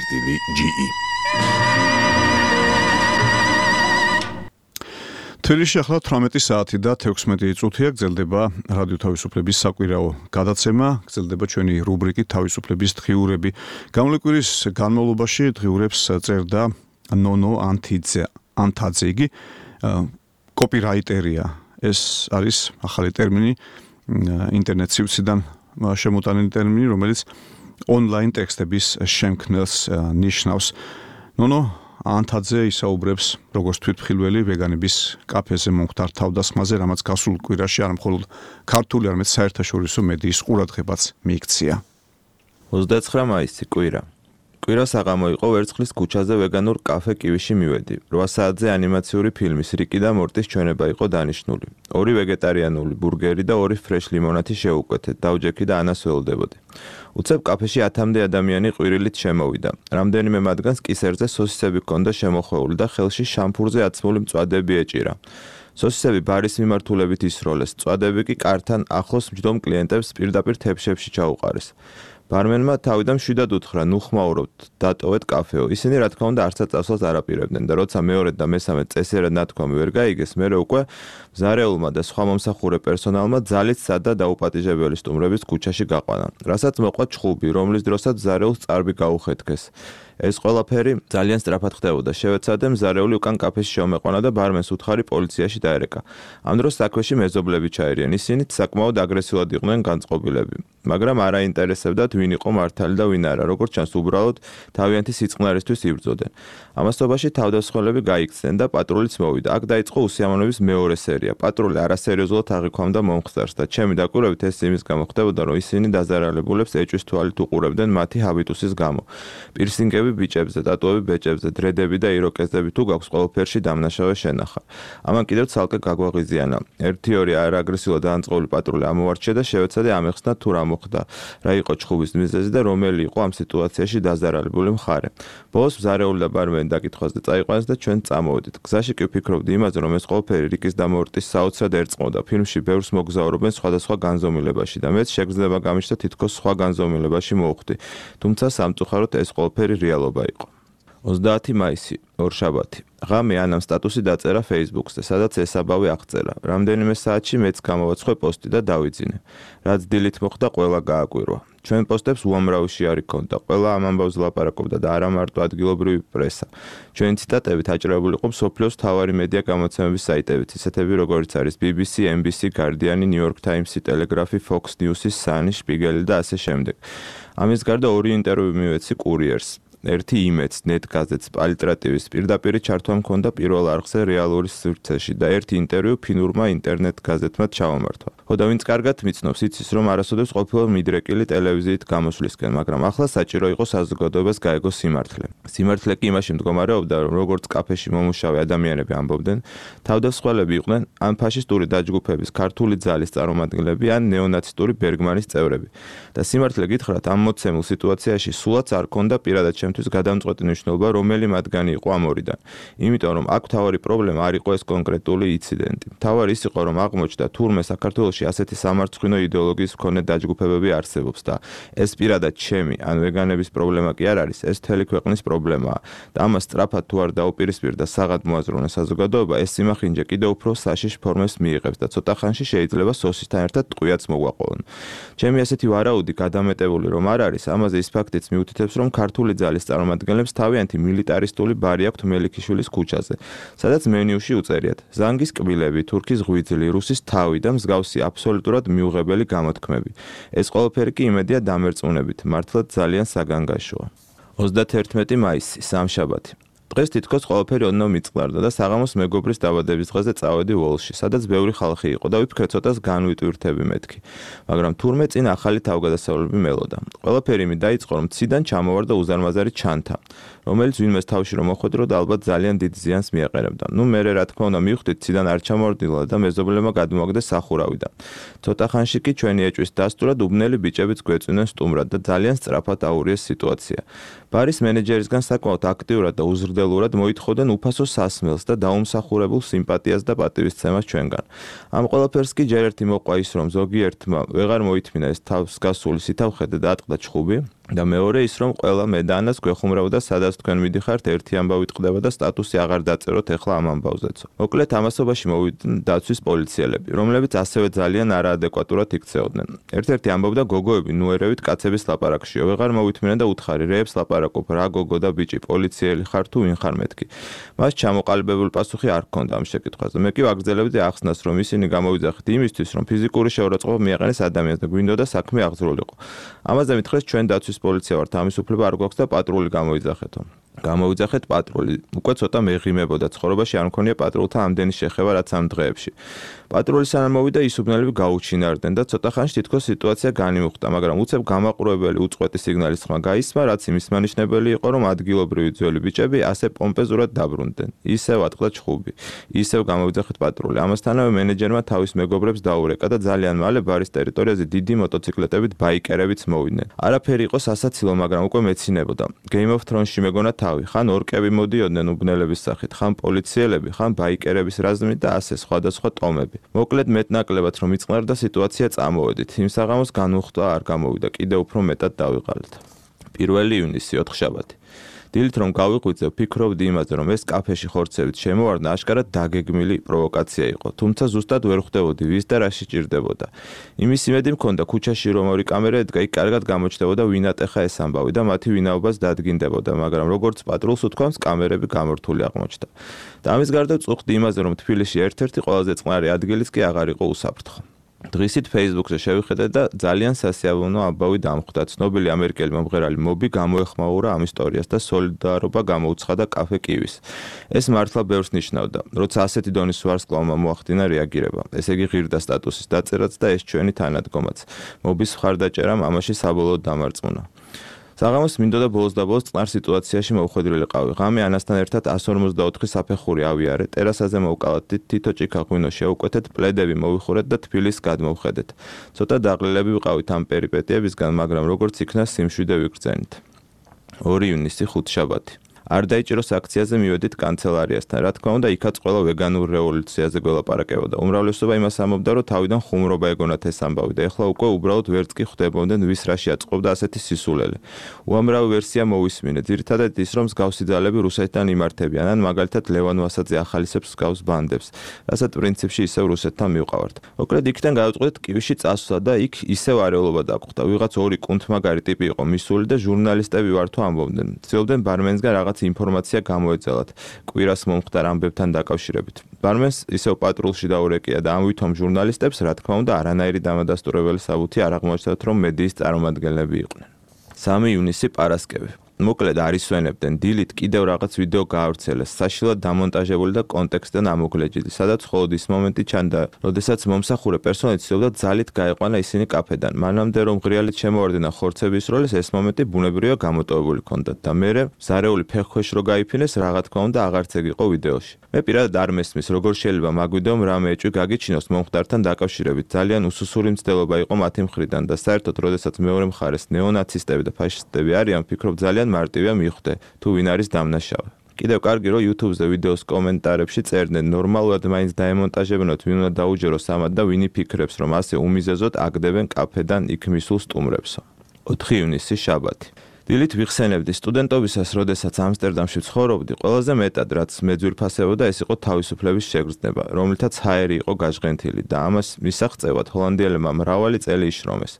თბილისში ახლა 18 საათი და 16 წუთია გრძელდება რადიო თავისუფლების საკვირაო გადაცემა, გრძელდება ჩვენი რუბრიკი თავისუფლების დღიურები. გამოლეკვირის განმავლობაში დღიურებს წერდა ნონო ანთაძეგი, კოპირაიტერია. ეს არის ახალი ტერმინი, ინტერნეტ სივრციდან შემოტანილი ტერმინი, რომელიც ონლაინ ტექსტების შემქმნელს ნიშნავს. ნონო ანთაძე ისაუბრებს როგორც თვითმხილველი ვეგანების კაფეზე მომხდარ თავდასხმაზე, რამაც გასულ კვირაში არ მხოლოდ ქართული, არამედ საერთაშორისო მედიის ყურადღებაც მიიქცია. 29 მაისი კვირა. კვირა საღამო იყო ვერცხლის ქუჩაზე ვეგანურ კაფე კივიში მივედი. 8 საათზე ანიმაციური ფილმის რიკი და მორტის ჩვენება იყო დანიშნული. 2 ვეგეტარიანული ბურგერი და 2 ფრეშ ლიმონათი შევუკვეთეთ. დავჯექი და ანას ველოდებოდი. უცებ კაფეში 10-მდე ადამიანი ყვირილით შემოვიდა. რამდენიმე მათგანს კისერზე სოსისები ჰქონდა შემოხვეული და ხელში შამფურზე აცმული მწვადეები ეჭირა. სოსისები ბარის მიმართულებით ისროლეს, მწვადეები კი კართან ახლოს მჯდომ კლიენტებს პირდაპირ თეფშებში ჩაუყარეს. ბარმენმა თავიდან მშვიდად უთხრა, ნუ ხმაურობთ, დატოვეთ კაფეო. ისინი რა თქმა უნდა არცად წასვლას არ აპირებდნენ და როცა მეორედ და მესამე წესიერად ნათქვამი ვერ გაიგეს, მერე უკვე მზარეულმა და სხვა მომსახურე პერსონალმა ძალით სად და დაუპატიჟებელი სტუმრების ქუჩაში გაყვანა. რასაც მოყვა ჩხუბი, რომლის დროსაც მზარეულს წარბი გაუხეთქეს. ეს ყველაფერი ძალიან სწრაფად ხდებოდა. შევეცადე მზარეული უკან კაფეში შემეყვანა და ბარმენს უთხარი პოლიციაში დაერეკა. ამ დროს საქმეში მეზობლები ჩაერიან. ისინიც საკმაოდ აგრესიულად იყვნენ განწყობილები. მაგრამ არ აინტერესებდათ ვინ იყო მართალი და ვინ არა. როგორც ჩანს, უბრალოდ თავიანთი სიწყნარისთვის იბრძოდნენ. ამასობაში თავდასხმელები გაიქცნენ და პატრულიც მოვიდა. აქ დაიწყო უსიამოვნების მეორე სერია. პატრული არასერიოზულად აღიქვამდა მომხდარს და ჩემი დაკვირვებით ეს იმის გამო ხდებოდა, რომ ისინი დაზარალებულებს ეჭვის თვალით უყურებდნენ მათი ჰაბიტუსის გამო. პირსინგები ბიჭებზე, ტატუები ბეჭებზე, დრედები და იროკეზები თუ გაქვს ყველაფერში დამნაშავე შენახა. ამან კიდევ ცალკე გაგვაღიზიანა. 1-2 არააგრესიულად დაანწყობილი პატრული ამოვარჩია და შევეცადე ამეხსნა თუ რა მოხდა, რა იყო ჩხუბის მიზეზი და რომელი იყო ამ სიტუაციაში დაზარალებული მხარე. ბოლოს მზარეული და ბარმენი დაკითხვაზე წაიყვანეს და ჩვენ წამოვედით. გზაში კი ვფიქრობდი იმაზე, რომ ეს ყველაფერი რიკის და მორტის საოცრად ერწყმოდა. ფილმში ბევრს მოგზაურობენ სხვადასხვა განზომილებაში და მეც შეგრძნება გამიშთა თითქოს სხვა განზომილებაში მოვხვდი. თუმცა სამწუხაროდ ეს ყველაფერი რეალობა იყო. 30 მაისი, ორშაბათი. ღამე ანამ სტატუსი დაწერა Facebook-ზე, სადაც ესაბავი აღწერა. რამდენიმე საათში მეც გამოვაცხე პოსტი და დავიძინე. რაც დილით მოხდა, ყველა გააკვირვა. ჩვენ პოსტებს უამრავი შეარი ჰქონდა. ყველა ამ ამბავს ლაპარაკობდა და არა მარტო ადგილობრივი პრესა. ჩვენი ციტატებით აჭრებული იყო მსოფლიოს მთავარი მედია გამოცემების საიტებიც, ისეთები როგორიც არის BBC, NBC, Guardian, New York Times, Telegraph, Fox News, Sun, Spiegel და ასე შემდეგ. ამის გარდა 2 ინტერვიუ მივეცი კურიერს. ერთი იმედს, ნეტგაზეთს, პალიტრატივის პირდაპირი ჩართვა მქონდა პირველ არხზე რეალური სივრცეში და ერთი ინტერვიუ ფინურმა ინტერნეტ გაზეთმა ჩავამართვა. ხოდა ვინც კარგად მიცნობს, იცის, რომ არასოდეს ყოფილა მიდრეკილი ტელევიზიით გამოსვლისკენ, მაგრამ ახლა საჭირო იყო საზოგადოებას გაეგო სიმართლე. სიმართლე კი იმაში მდგომარეობდა, რომ როგორც კაფეში მომუშავე ადამიანები ამბობდნენ, თავდამსხმელები იყვნენ ან ფაშისტური დაჯგუფების ქართული ძალის წარმომადგენლები, ან ნეონაცისტური ბერგმანის წევრები. და სიმართლე გითხრათ, ამ მოცემულ სიტუაციაში სულაც არ ქონდა პირადად ჩემთვის გადამწყვეტი მნიშვნელობა, რომელი მათგანი იყო ამ ორიდან. იმიტომ რომ აქ თავარი პრობლემა არ იყო ეს კონკრეტული ინციდენტი. თავარი ის იყო, რომ აღმოჩნდა თურმე საქართველოში ასეთი სამარცხვინო იდეოლოგიის მქონე დაჯგუფებები არსებობს და ეს პირადად ჩემი ან ვეგანების პრობლემა კი არ არის, ეს მთელი ქვეყნის პრობლემაა. და ამას სწრაფად თუ არ დაუპირისპირდა საღად მოაზროვნე საზოგადოება, ეს სიმახინჯე კიდევ უფრო საშიშ ფორმებს მიიღებს და ცოტა ხანში შეიძლება სოსისთან ერთად ტყვიაც მოგვაყოლონ. ჩემი ასეთი ვარაუდი გადამეტებული რომ არ არის, ამაზე ის ფაქტიც მიუთითებს, რომ ქართული ძალის წარმომადგენლებს თავიანთი მილიტარისტული ბარი აქვთ მელიქიშვილის ქუჩაზე, სადაც მენიუში უწერიათ ზანგის კბილები, თურქის ღვიძლი, რუსის თავი და მსგავსი აბსოლუტურად მიუღებელი გამოთქმები. ეს ყველაფერი კი იმედია დამერწმუნებით, მართლაც ძალიან საგანგაშოა. 31 მაისი, სამშაბათი. დღეს თითქოს ყველაფერი ოდნავ მიწყდარდა და საღამოს მეგობრის დაბადების დღეზე წავედი ვოლში, სადაც ბევრი ხალხი იყო და ვიფიქრე ცოტას განვიტვირთები მეთქი. მაგრამ თურმე წინ ახალი თავგადასავლები მელოდა. ყველაფერი იმით დაიწყო, რომ ციდან ჩამოვარდა უზარმაზარი ჩანთა, რომელიც ვინმეს თავში რომ მოხვედრო და ალბათ ძალიან დიდ ზიანს მიაყენებდა. ნუ მერე რა თქმა უნდა მივხვდით ციდან არ ჩამოვარდილა და მეზობლებმა გადმოაგდეს სახურავიდან. ცოტა ხანში კი ჩვენი ეჭვის დასტურად უბნელი ბიჭებიც გვეწვნენ სტუმრად და ძალიან სწრაფად აურიეს სიტუაცია. ბარის მენეჯერისგან საკმაოდ აქტიურად და უზრდელურად მოითხოვდნენ უფასო სასმელს და დაუმსახურებულ სიმპათიას და პატივისცემას ჩვენგან. ამ ყველაფერს კი ჯერ ერთი მოყვა ის, რომ ზოგიერთმა ვეღარ მოითმინა ეს თავს გასული სითავხედე და ატყდა ჩხუბი. და მეორე ის, რომ ყველა მე და ანას გვეხუმრებოდა, სადაც თქვენ მიდიხართ, ერთი ამბავი ტყდება და სტატუსი აღარ დაწეროთ ეხლა ამ ამბავზეც. მოკლედ ამასობაში მოვიდნენ დაცვის პოლიციელები, რომლებიც ასევე ძალიან არაადეკვატურად იქცეოდნენ. ერთ-ერთი ამბობდა გოგოები ნუერევით კაცების ლაპარაკშიო, ვეღარ მოვითმენა და უთხარი რეებს ლაპარაკობ, რა გოგო და ბიჭი, პოლიციელი ხარ თუ ვინ ხარ მეთქი. მას ჩამოყალიბებული პასუხი არ ჰქონდა ამ შეკითხვაზე. მე კი ვაგრძელებდი ახსნას, რომ ისინი გამოვიძახით იმისთვის, რომ ფიზიკური შეურაცხყოფა მიაყენეს ადამიანს და გვინდოდა საქმე აღძრულიყო. ამაზე მითხრეს ჩვენ დაცვის პოლიცია ვართ, ამის უფლება არ გვაქვს და პატრული გამოვიძახეთო. გამოვიძახეთ პატრული. უკვე ცოტა მეღიმებოდა ცხოვრებაში არ მქონია პატრულთა ამდენი შეხება რაც ამ დღეებში. პატრული სანამ მოვიდა ის უბნელები გაუჩინარდნენ და ცოტა ხანში თითქოს სიტუაცია განიმუხტა, მაგრამ უცებ გამაყურებელი უწყვეტი სიგნალის ხმა გაისმა, რაც იმის მანიშნებელი იყო, რომ ადგილობრივი ძველი ბიჭები ასე პომპეზურად დაბრუნდნენ. ისევ ატყდა ჩხუბი. ისევ გამოვიძახეთ პატრული. ამასთანავე მენეჯერმა თავის მეგობრებს დაურეკა და ძალიან მალე ბარის ტერიტორიაზე დიდი მოტოციკლეტებით ბაიკერებიც მოვიდნენ. არაფერი იყო სასაცილო, მაგრამ უკვე მეცინებოდა. Game of Thrones-ში მეგონა ხან ორკები მოდიოდნენ უბნელების სახით, ხან პოლიციელები, ხან ბაიკერების რაზმით და ასე სხვადასხვა ტომები. მოკლედ მეტნაკლებად რომ იწყნარდა სიტუაცია წამოვედით. იმ საღამოს განუხტვა არ გამოვიდა, კიდევ უფრო მეტად დავიღალეთ. 1 ივნისი, 4-შაბათი. დილით რომ გავიღვიძე, ვფიქრობდი იმაზე, რომ ეს კაფეში ხორცებით შემოვარდნა აშკარად დაგეგმილი პროვოკაცია იყო, თუმცა ზუსტად ვერ ხვდებოდი ვის და რა შეჭირდებოდა. იმის იმედი მქონდა ქუჩაში რომ ორი კამერა ედგა, იქ კარგად გამოჩნდებოდა ვინ ატეხა ეს ამბავი და მათი ვინაობას დადგინდებოდა, მაგრამ როგორც პატრულს უთქვამს, კამერები გამორთული აღმოჩნდა. და ამის გარდა წუხდი იმაზე, რომ თბილისში ერთ-ერთი ყველაზე წყნარი ადგილიც კი აღარ იყო უსაფრთხო. დღისით Facebook-ზე შევიხედე და ძალიან სასიამოვნო ამბავი დამხვდა. ცნობილი ამერიკელი მომღერალი მობი გამოეხმაურა ამ ისტორიას და სოლიდარობა გამოუცხადა კაფე კივის. ეს მართლა ბევრს ნიშნავდა, როცა ასეთი დონის ვარსკვლავმა მოახდინა რეაგირება. ესე იგი ღირდა სტატუსის დაწერაც და ეს ჩვენი თანადგომაც. მობის მხარდაჭერამ ამაში საბოლოოდ დამარწმუნა. საღამოს მინდოდა ბოლოს და ბოლოს წყნარ სიტუაციაში მოვხვედრილიყავი. ღამე ანასთან ერთად 154 საფეხური ავიარე, ტერასაზე მოვკალათ, თითო ჭიქა ღვინო შევკვეთეთ, პლედები მოვიხურეთ და თბილისს გადმოვხედეთ. ცოტა დაყლილები ვიყავით ამ პერიპეტიებისგან, მაგრამ როგორც იქნა სიმშვიდე ვიგრძენით. 2 ივნისი, 5-შაბათი. არ დაიჭიროს აქციაზე მივედით კანცელარიასთან. რა თქმა უნდა, იქაც ყველა ვეგანურ რევოლუციაზე გველაპარაკებოდა. უმრავლესობა იმას ამბობდა, რომ თავიდან ხუმრობა ეგონათ ეს ამბავი და ეხლა უკვე უბრალოდ ვერც კი ხვდებოდნენ ვის რაში აწყობდა ასეთი სისულელე. უამრავი ვერსია მოვისმინე. ძირითადად ის, რომ მსგავსი ძალები რუსეთთან იმართებიან, ან მაგალითად ლევან ვასაძე ახალისებს მსგავს ბანდებს, რასაც პრინციპში ისევ რუსეთთან მივყავართ. მოკლედ იქიდან გავუწყდით კივში წასვლა და იქ ისევ არეულობა დაგვხვდა. ვიღაც ორი კუნთმაგარი ტიპი იყო მისული და ჟურნალისტები ვარ თუ ამბობდნენ. ცდილობდნენ ბარმენსგან რაღაც ინფორმაცია გამოეძალათ კვირას მომხდარ ამბებთან დაკავშირებით. ბარმენს ისევ პატრულში დაურეკია და ამ ვითომ ჟურნალისტებს, რა თქმა უნდა, არანაირი დამადასტურებელი საბუთი არ აღმოაჩნდათ, რომ მედიის წარმომადგენლები იყვნენ. 3 ივნისი, პარასკევი. მოკლედ არისვენებდნენ დილით კიდევ რაღაც ვიდეო გაავრცელეს, საშილად დამონტაჟებული და კონტექსტიდან ამოგლეჯილი, სადაც მხოლოდ ის მომენტი ჩანდა, როდესაც მომსახურე პერსონალი ცდილობდა ძალით გაეყვანა ისინი კაფედან. მანამდე რომ ღრიალით შემოვარდნა ხორცების როლეს, ეს მომენტი ბუნებრივია გამოტოვებული ჰქონდათ და მერე ზარეული ფეხქვეშ რო გაიფინეს, რა თქმა უნდა აღარც ეგ იყო ვიდეოში. მე პირადად არ მესმის, როგორ შეიძლება მაგ ვიდეომ რამე ეჭვი გაგიჩინოს მომხდართან დაკავშირებით. ძალიან უსუსური მცდელობა იყო მათი მხრიდან და საერთოდ, როდესაც მეორე მხარეს ნეონაცისტები და ფაშისტები არიან, ვფიქრობ ძალიან მარტივია მიხვდე, თუ ვინ არის დამნაშავე. კიდევ კარგი რომ YouTube-ზე ვიდეოს კომენტარებში წერდნენ, ნორმალურად მაინც დაემონტაჟებინოთ, ვინ უნდა დაუჯეროს ამათ და ვინი ფიქრებს, რომ ასე უმიზეზოდ აგდებენ კაფედან იქ მისულ სტუმრებსო. 4 ივნისი შაბათი. დილით ვიხსენებდი სტუდენტობისას, როდესაც ამსტერდამში ცხოვრობდი, ყველაზე მეტად რაც მე ძვირფასებოდა, ეს იყო თავისუფლების შეგრძნება, რომლითაც ჰაერი იყო გაჟღენთილი და ამას მისაღწევად ჰოლანდიელებმა მრავალი წელი იშრომეს,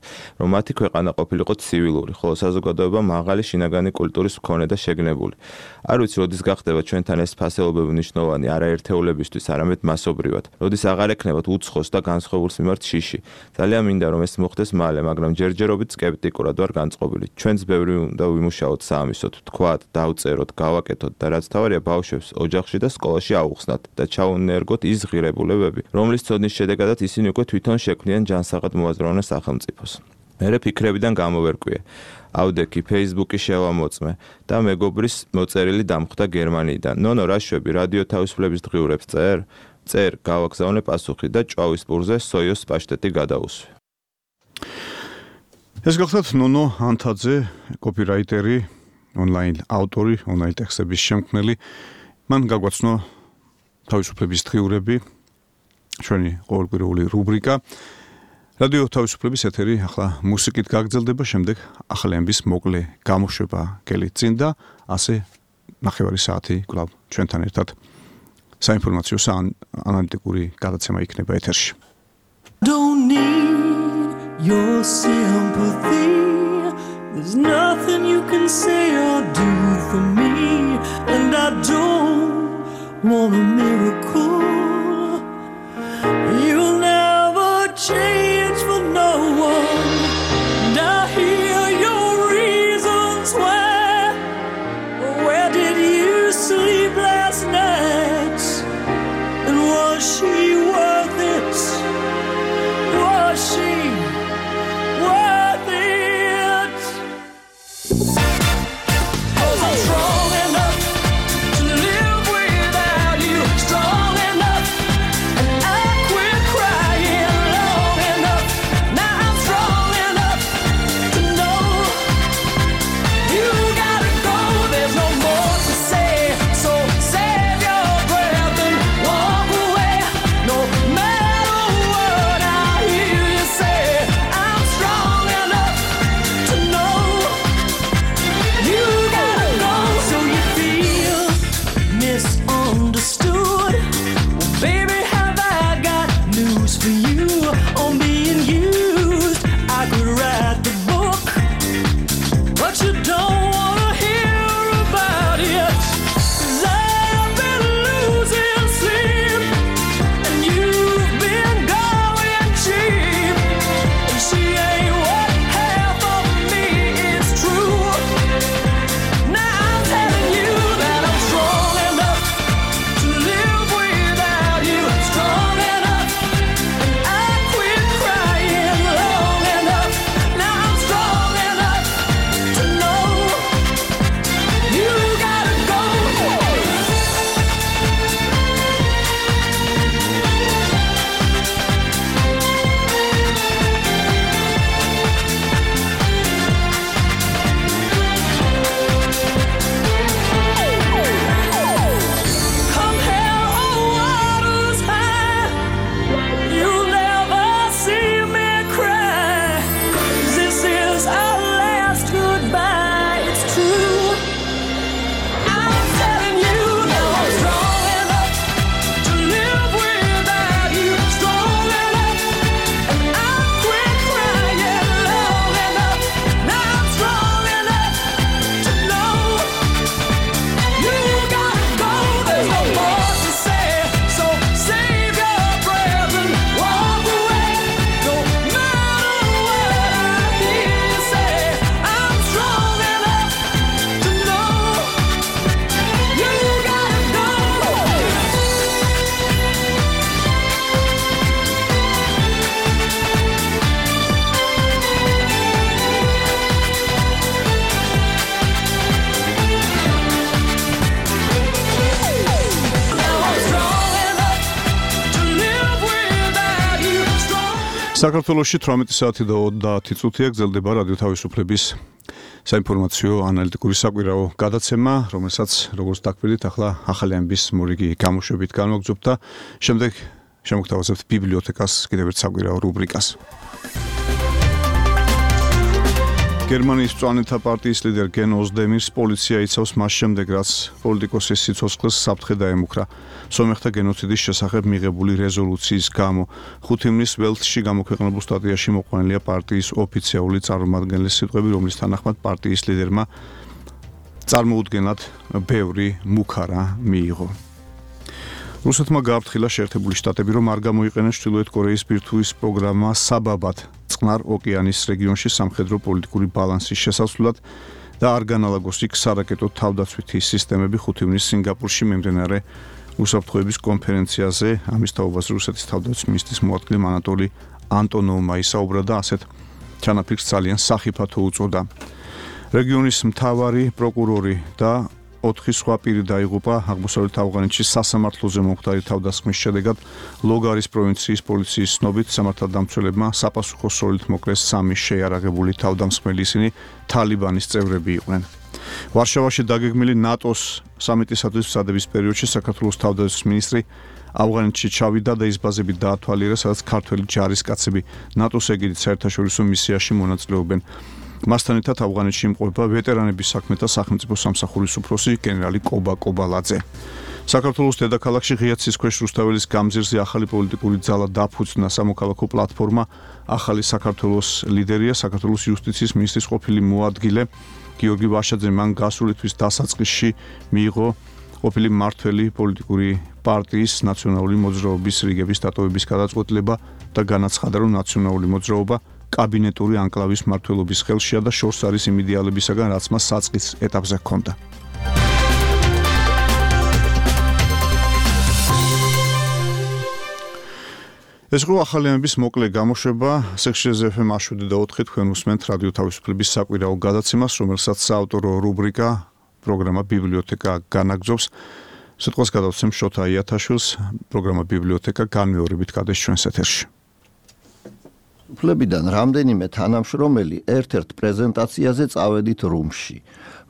რომ მათი ქვეყანა ყოფილიყო ცივილური, ხოლო საზოგადოება მაღალი შინაგანი კულტურის მქონე და შეგნებული. არ ვიცი, როდის გახდება ჩვენთან ეს ფასეულობები მნიშვნელოვანი არა ერთეულებისთვის, არამედ მასობრივად. როდის აღარ ექნებათ უცხოს და განსხვავებულს მიმართ შიში. ძალიან მინდა რომ ეს მოხდეს მალე, მაგრამ ჯერჯერობით სკეპტიკურად ვარ განწყობილი. ჩვენც ბევრი და ვიმუშაოთ საამისოდ, თქვათ, დავწეროთ, გავაკეთოთ და რაც თავარია ბავშვებს ოჯახში და სკოლაში აუხსნათ და ჩაუნერგოთ ის ღირებულებები, რომლის ცოდნის შედეგადაც ისინი უკვე თვითონ შექმნიან ჯანსაღად მოაზროვნე სახელმწიფოს. მერე ფიქრებიდან გამოვერკვიე. ავდექი Facebook-ი შევამოწმე და მეგობრის მოწერილი დამხვდა გერმანიიდან. ნონო, რა შვები, რადიო თავისუფლების დღიურებს წერ, გავაგზავნე პასუხი და ჭვავის პურზე სოიოს პაშტეტი გადაუსვე. ეს გახლავთ ნონო ანთაძე, კოპირაიტერი, ონლაინ ავტორი, ონლაინ ტექსტების შემქმნელი. მან გაგვაცნო თავისუფლების დღიურები, ჩვენი ყოველკვირეული რუბრიკა. რადიო თავისუფლების ეთერი ახლა მუსიკით გაგრძელდება, შემდეგ ახალი ამბის მოკლე გამოშვება გელით წინ და ასე ნახევარი საათი კვლავ ჩვენთან ერთად საინფორმაციო ანალიტიკური გადაცემა იქნება ეთერში. Don't need your sympathy. There's nothing you can say or do for me, and I don't want a miracle. You'll never change for no one, and I hear your reasons why. Where did you sleep last night? And was she worth it? Was she worth it? 'Cause I'm strong enough to live without you, strong საქართველოში 18 საათი და 30 წუთია გრძელდება რადიო თავისუფლების საინფორმაციო ანალიტიკური საკვირაო გადაცემა, რომელსაც როგორც დაგკვირდით, ახლა ახალი ამბის მორიგი გამოშვებით განვაგრძობთ და შემდეგ შემოგთავაზებთ ბიბლიოთეკას კიდევ ერთ საკვირაო რუბრიკას. გერმანიის მწვანეთა პარტიის ლიდერ გენ ოზდემირს პოლიცია იცავს მას შემდეგ, რაც პოლიტიკოსის სიცოცხლეს საფრთხე დაემუქრა. სომეხთა გენოციდის შესახებ მიღებული რეზოლუციის გამო 5 ივნის ველთში გამოქვეყნებულ სტატიაში მოყვანილია პარტიის ოფიციალური წარმომადგენლის სიტყვები, რომლის თანახმად პარტიის ლიდერმა წარმოუდგენლად ბევრი მუქარა მიიღო. რუსეთმა გააფრთხილა შეერთებული შტატები, რომ არ გამოიყენოს ჩრდილოეთ კორეის ბირთვის პროგრამა საბაბად წყნარ ოკეანის რეგიონში სამხედრო პოლიტიკური ბალანსის შესასვლელად და არ განალაგოს იქ სარაკეტო თავდაცვითი სისტემები 5 ივნის სინგაპურში მიმდინარე უსაფრთხოების კონფერენციაზე. ამის თაობაზე რუსეთის თავდაცვის მინისტრის მოადგილე ანატოლი ანტონოვმა ისაუბრა და ასეთ ჩანაფიქრს ძალიან სახიფათო უწოდა. რეგიონის მთავარი პროკურორი და 4 სხვა პირი დაიღუპა აღმოსავლეთ ავღანეთში სასამართლოზე მომხდარი თავდასხმის შედეგად. ლოგარის პროვინციის პოლიციის ცნობით სამართალდამცველებმა საპასუხო სროლით მოკლეს 3 შეიარაღებული თავდამსხმელი, ისინი თალიბანის წევრები იყვნენ. ვარშავაში დაგეგმილი ნატოს სამიტისათვის მზადების პერიოდში საქართველოს თავდაცვის მინისტრი ავღანეთში ჩავიდა და ის ბაზები დაათვალიერა, სადაც ქართველი ჯარისკაცები ნატოს ეგიდით საერთაშორისო მისიაში მონაწილეობენ. მასთან ერთად ავღანეთში იმყოფება ვეტერანების საქმეთა სახელმწიფო სამსახურის უფროსი გენერალი კობა კობალაძე. საქართველოს დედაქალაქში ღია ცისქვეშ რუსთაველის გამზირზე ახალი პოლიტიკური ძალა დაფუძნა. სამოქალაქო პლატფორმა ახალი საქართველოს ლიდერია საქართველოს იუსტიციის მინისტრის ყოფილი მოადგილე გიორგი ვაშაძე. მან გასული თვის დასაწყისში მიიღო ყოფილი მმართველი პოლიტიკური პარტიის ნაციონალური მოძრაობის რიგების დატოვების გადაწყვეტილება და განაცხადა, რომ ნაციონალური მოძრაობა კაბინეტური ანკლავის მმართველობის ხელშია და შორს არის იმ იდეალებისაგან, რაც მას საწყის ეტაპზე ჰქონდა. ეს იყო ახალი ამბის მოკლე გამოშვება. სექშენზე FM 7 თქვენ უსმენთ რადიო თავისუფლების საკვირაო გადაცემას, რომელსაც საავტორო რუბრიკა პროგრამა ბიბლიოთეკა განაგრძობს. სიტყვას გადავცემ შოთა იათაშვილს. პროგრამა ბიბლიოთეკა განმეორებით გადის ჩვენს ეთერში. უფლებიდან რამდენიმე თანამშრომელი ერთ-ერთ პრეზენტაციაზე წავედით რუმში.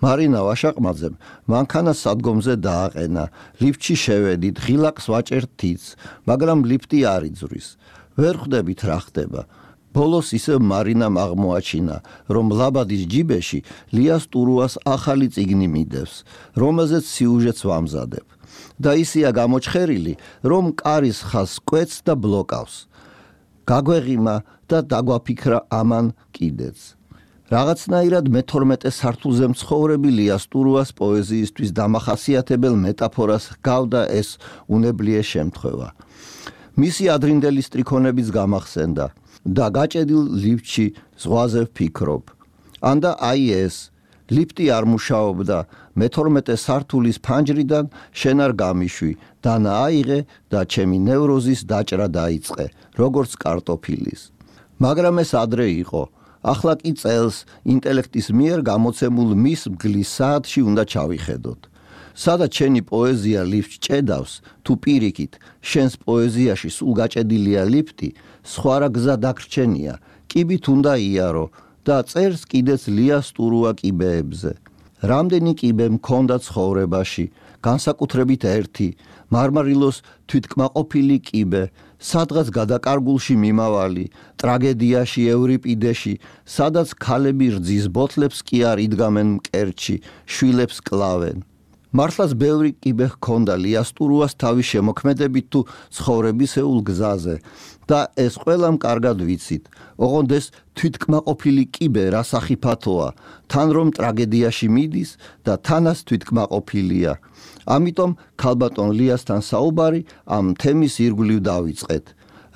მარინა ვაშაყმაძემ მანქანას სადგომზე დააყენა, ლიფტში შევედით, ღილაკს ვაჭერთ თიც, მაგრამ ლიფტი არ იძვრის. ვერ ხვდებით რა ხდება. ბოლოს ისევ მარინამ აღმოაჩინა, რომ ლაბადის ჯიბეში ლიას ტურუას ახალი წიგნი მიდევს, რომელზეც სიუჟეტს ვამზადებ. და ისია გამოჩხერილი, რომ კარის ხაზს კვეთს და ბლოკავს. გაგვეღიმა და დაგვაფიქრა ამან კიდეც. რაღაცნაირად მე-12 სართულზე მცხოვრები ლიას ტურუას პოეზიისთვის დამახასიათებელ მეტაფორას გავდა ეს უნებლიე შემთხვევა. მისი ადრინდელი სტრიქონებიც გამახსენდა და გაჭედილ ლიფტში ზღვაზე ვფიქრობ. ანდა აი ეს ლიფტი არ მუშაობდა, მე-12 სართულის ფანჯრიდან შენ არ გამიშვი, დანა აიღე და ჩემი ნევროზის დაჭრა დაიწყე, როგორც კარტოფილის. მაგრამ ეს ადრე იყო. ახლა კი წელს ინტელექტის მიერ გამოცემულ მის მგლის საათში უნდა ჩავიხედოთ. სადაც შენი პოეზია ლიფტს ჭედავს, თუ პირიქით, შენს პოეზიაში სულ გაჭედილია ლიფტი, სხვა რა გზა დაგრჩენია, კიბით უნდა იარო და წერს კიდეც ლიას ტურუა კიბეებზე. რამდენი კიბე მქონდა ცხოვრებაში, განსაკუთრებით ერთი, მარმარილოს თვითკმაყოფილი კიბე, სადღაც გადაკარგულში მიმავალი, ტრაგედიაში ევრიპიდეში, სადაც ქალები რძის ბოთლებს კი არ იდგამენ მკერდში, შვილებს კლავენ. მართლაც ბევრი კიბე ჰქონდა ლიას ტურუას თავის შემოქმედებით თუ ცხოვრებისეულ გზაზე და ეს ყველამ კარგად ვიცით. ოღონდ ეს თვითკმაყოფილი კიბე რა სახიფათოა, თან რომ ტრაგედიაში მიდის და თანაც თვითკმაყოფილია. ამიტომ ქალბატონ ლიასთან საუბარი ამ თემის ირგვლივ დავიწყეთ.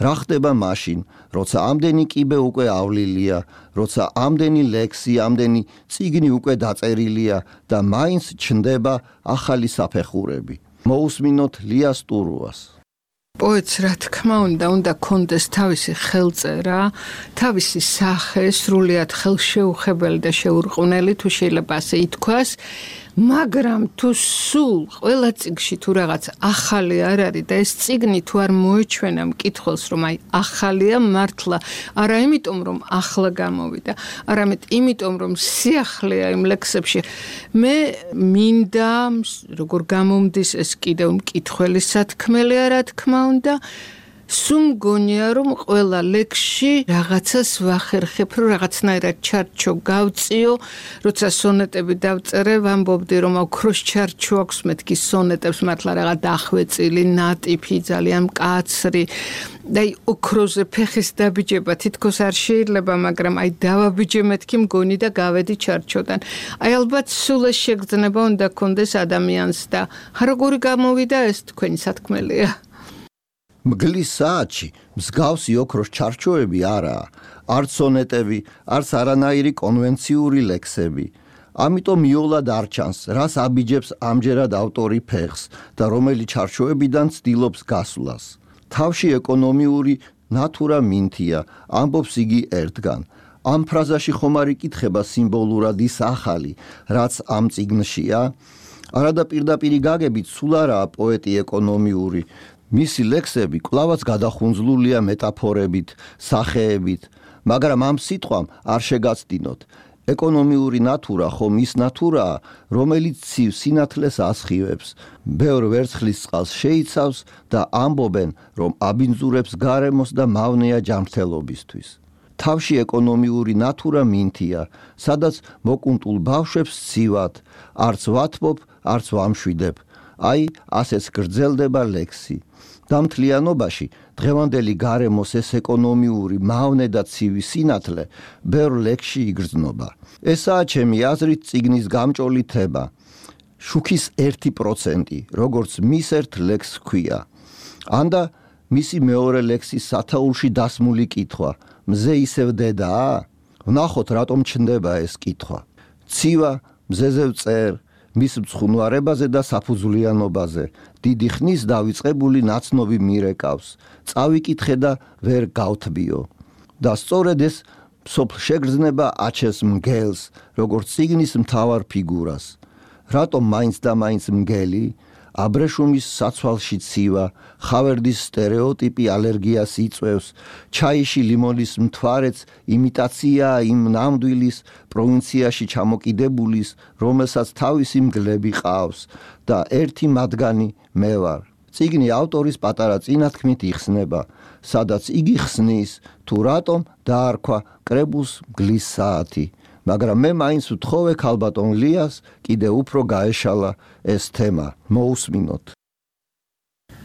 რა ხდება მაშინ, როცა ამდენი კიბე უკვე ავლილია, როცა ამდენი ლექსი, ამდენი წიგნი უკვე დაწერილია და მაინც ჩნდება ახალი საფეხურები. მოусმინოთ ლიას ტურუას. პოეტს რა თქმა უნდა კონდეს თავისი ხელწერა, თავისი სახე, სრულიად ხელშეუხებელი და შეურყვნელი, თუ შეიძლება ასე ითქვას. მაგრამ თუ სულ ყველა წიგნში თუ რაღაც ახალი არ არის და ეს წიგნი თუ არ მოეჩვენა მკითხველს რომ აი ახალია მართლა არა იმიტომ რომ ახლა გამოვიდა არამედ იმიტომ რომ სიახლეა იმ ლექსებში მე მინდა როგორ გამომდის ეს კიდევ მკითხველის სათქმელია რა თქმა უნდა სულ მგონია რომ ყველა ლექსში რაღაცას ვახერხებ რომ რაღაცნაირად ჩარჩო გავწიო როცა სონეტები დავწერე ვამბობდი რომ ოქროს ჩარჩო აქვს მეთქი სონეტებს მართლა რაღაც დახვეწილი ნატიფი ძალიან მკაცრი და ოქროზე ფეხის დაბიჯება თითქოს არ შეიძლება მაგრამ აი დავაბიჯე მეთქი მგონი და გავედი ჩარჩოდან აი ალბათ სულ ეს შეგრძნება უნდა კონდეს ადამიანს და როგორი გამოვიდა ეს თქვენი სათქმელია მგლის საათში მსგავსი ოქროს ჩარჩოები არაა, არც სონეტები, არც არანაირი კონვენციური ლექსები. ამიტომ მიოლად არ ჩანს, რას აბიჯებს ამჯერად ავტორი ფეხს და რომელი ჩარჩოებიდან ცდილობს გასვლას. თავში ეკონომიური ნატურა მინთია, ამბობს იგი ერთგან. ამ ფრაზაში ხომ არ იკითხება სიმბოლურად ის ახალი, რაც ამ წიგნშია? არადა პირდაპირი გაგებით სულ არაა პოეტი ეკონომიური. მისი ლექსები კვლავაც გადახუნძლულია მეტაფორებით, სახეებით, მაგრამ ამ სიტყვამ არ შეგაცდინოთ. ეკონომიური ნატურა ხომ ის ნატურაა, რომელიც ცივ სინათლეს ასხივებს, ბევრ ვერცხლის წყალს შეიცავს და ამბობენ, რომ აბინძურებს გარემოს და მავნეა ჯანმრთელობისთვის. თავში ეკონომიური ნატურა მინთია, სადაც მოკუნტულ ბავშვებს ცივად, არც ვათბობ, არც ვამშვიდებ. აი, ასეც გრძელდება ლექსი. დამთლიანობაში დღევანდელი გარემოს ეს ეკონომიური მავნე და ცივი სინათლე ბევრ ლექსში იგრძნობა. ესაა ჩემი აზრით წიგნის გამჭოლი თემა. შუქის 1%, როგორც მის ერთ ლექსს ჰქვია. ანდა მისი მეორე ლექსის სათაურში დასმული კითხვა, მზე ისევ დედაა? ვნახოთ რატომ ჩნდება ეს კითხვა. ცივა, მზეზე ვწერ, მის მცხუნვარებაზე და საფუძვლიანობაზე დიდი ხნის დავიწყებული ნაცნობი მირეკავს. წავიკითხე და ვერ გავთბიო. და სწორედ ეს სოფლ შეგრძნება აჩეს მგელს, როგორც წიგნის მთავარ ფიგურას. რატომ მაინც და მაინც მგელი? აბრეშუმის საცვალში ცივა, ხავერდის სტერეოტიპი ალერგიას იწვევს, ჩაიში ლიმონის მთვარეც იმიტაციაა იმ ნამდვილის პროვინციაში ჩამოკიდებულის, რომელსაც თავისი მგლები ყავს და ერთი მათგანი მე ვარ. წიგნი ავტორის პატარა წინათქმით იხსნება, სადაც იგი ხსნის, თუ რატომ დაარქვა კრებულს მგლის საათი. მაგრამ მე მაინც ვთხოვე ქალბატონ ლიას კიდე უფრო გაეშალა ეს თემა. მოусმინოთ.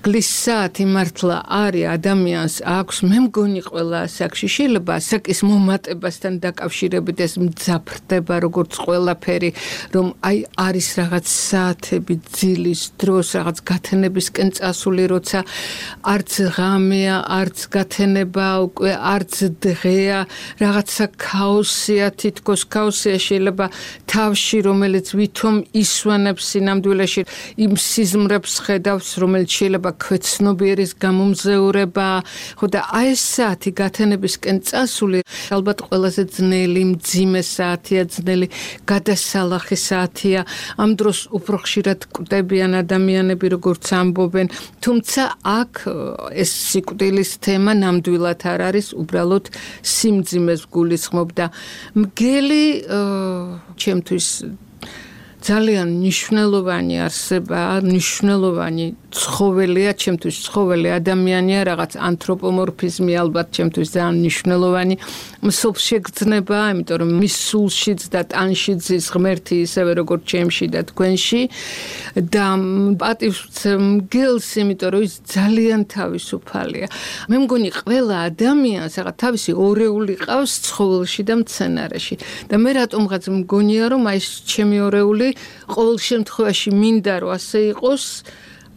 მგლის საათი მართლა არის ადამიანს აქვს მე მგონი ყველა ასაკში შეიძლება ასაკის მომატებასთან დაკავშირებით ეს მძაფრდება როგორც ყველაფერი რომ აი არის რაღაც საათები ძილის დროს რაღაც გათენებისკენ წასული როცა არც ღამეა არც გათენება უკვე არც დღეა რაღაცა ქაოსია თითქოს ქაოსია შეიძლება თავში რომელიც ვითომ ისვენებს სინამდვილეში იმ სიზმრებს ხედავს რომელიც შეიძლება ქვეცნობიერის გამომზეურება, ხო და აი ეს საათი გათენებისკენ წასული, ალბათ ყველაზე ძნელი, მძიმე საათია, ძნელი გადასალახი საათია. ამ დროს უფრო ხშირად კვდებიან ადამიანები, როგორც ამბობენ, თუმცა აქ ეს სიკვდილის თემა ნამდვილად არ არის, უბრალოდ სიმძიმეს გულისხმობდა. მგელი ჩემთვის ძალიან მნიშვნელოვანი არსებაა, მნიშვნელოვანი ცხოველია, ჩემთვის ცხოველი ადამიანია, რაღაც ანთროპომორფიზმი ალბათ ჩემთვის ძალიან მნიშვნელოვანი. მსოფლ შეგრძნება, იმიტომ რომ მის სულშიც და ტანში ძის ღმერთი ისევე როგორც ჩემში და თქვენში და პატივს მგელს, იმიტომ რომ ის ძალიან თავისუფალია. მე მგონი ყველა ადამიანს რაღაც თავისი ორეული ყავს ცხოველში და მცენარეში. და მე რატომღაც მგონია რომ აი ეს ჩემი ორეული ყოველ შემთხვევაში მინდა რომ ასე იყოს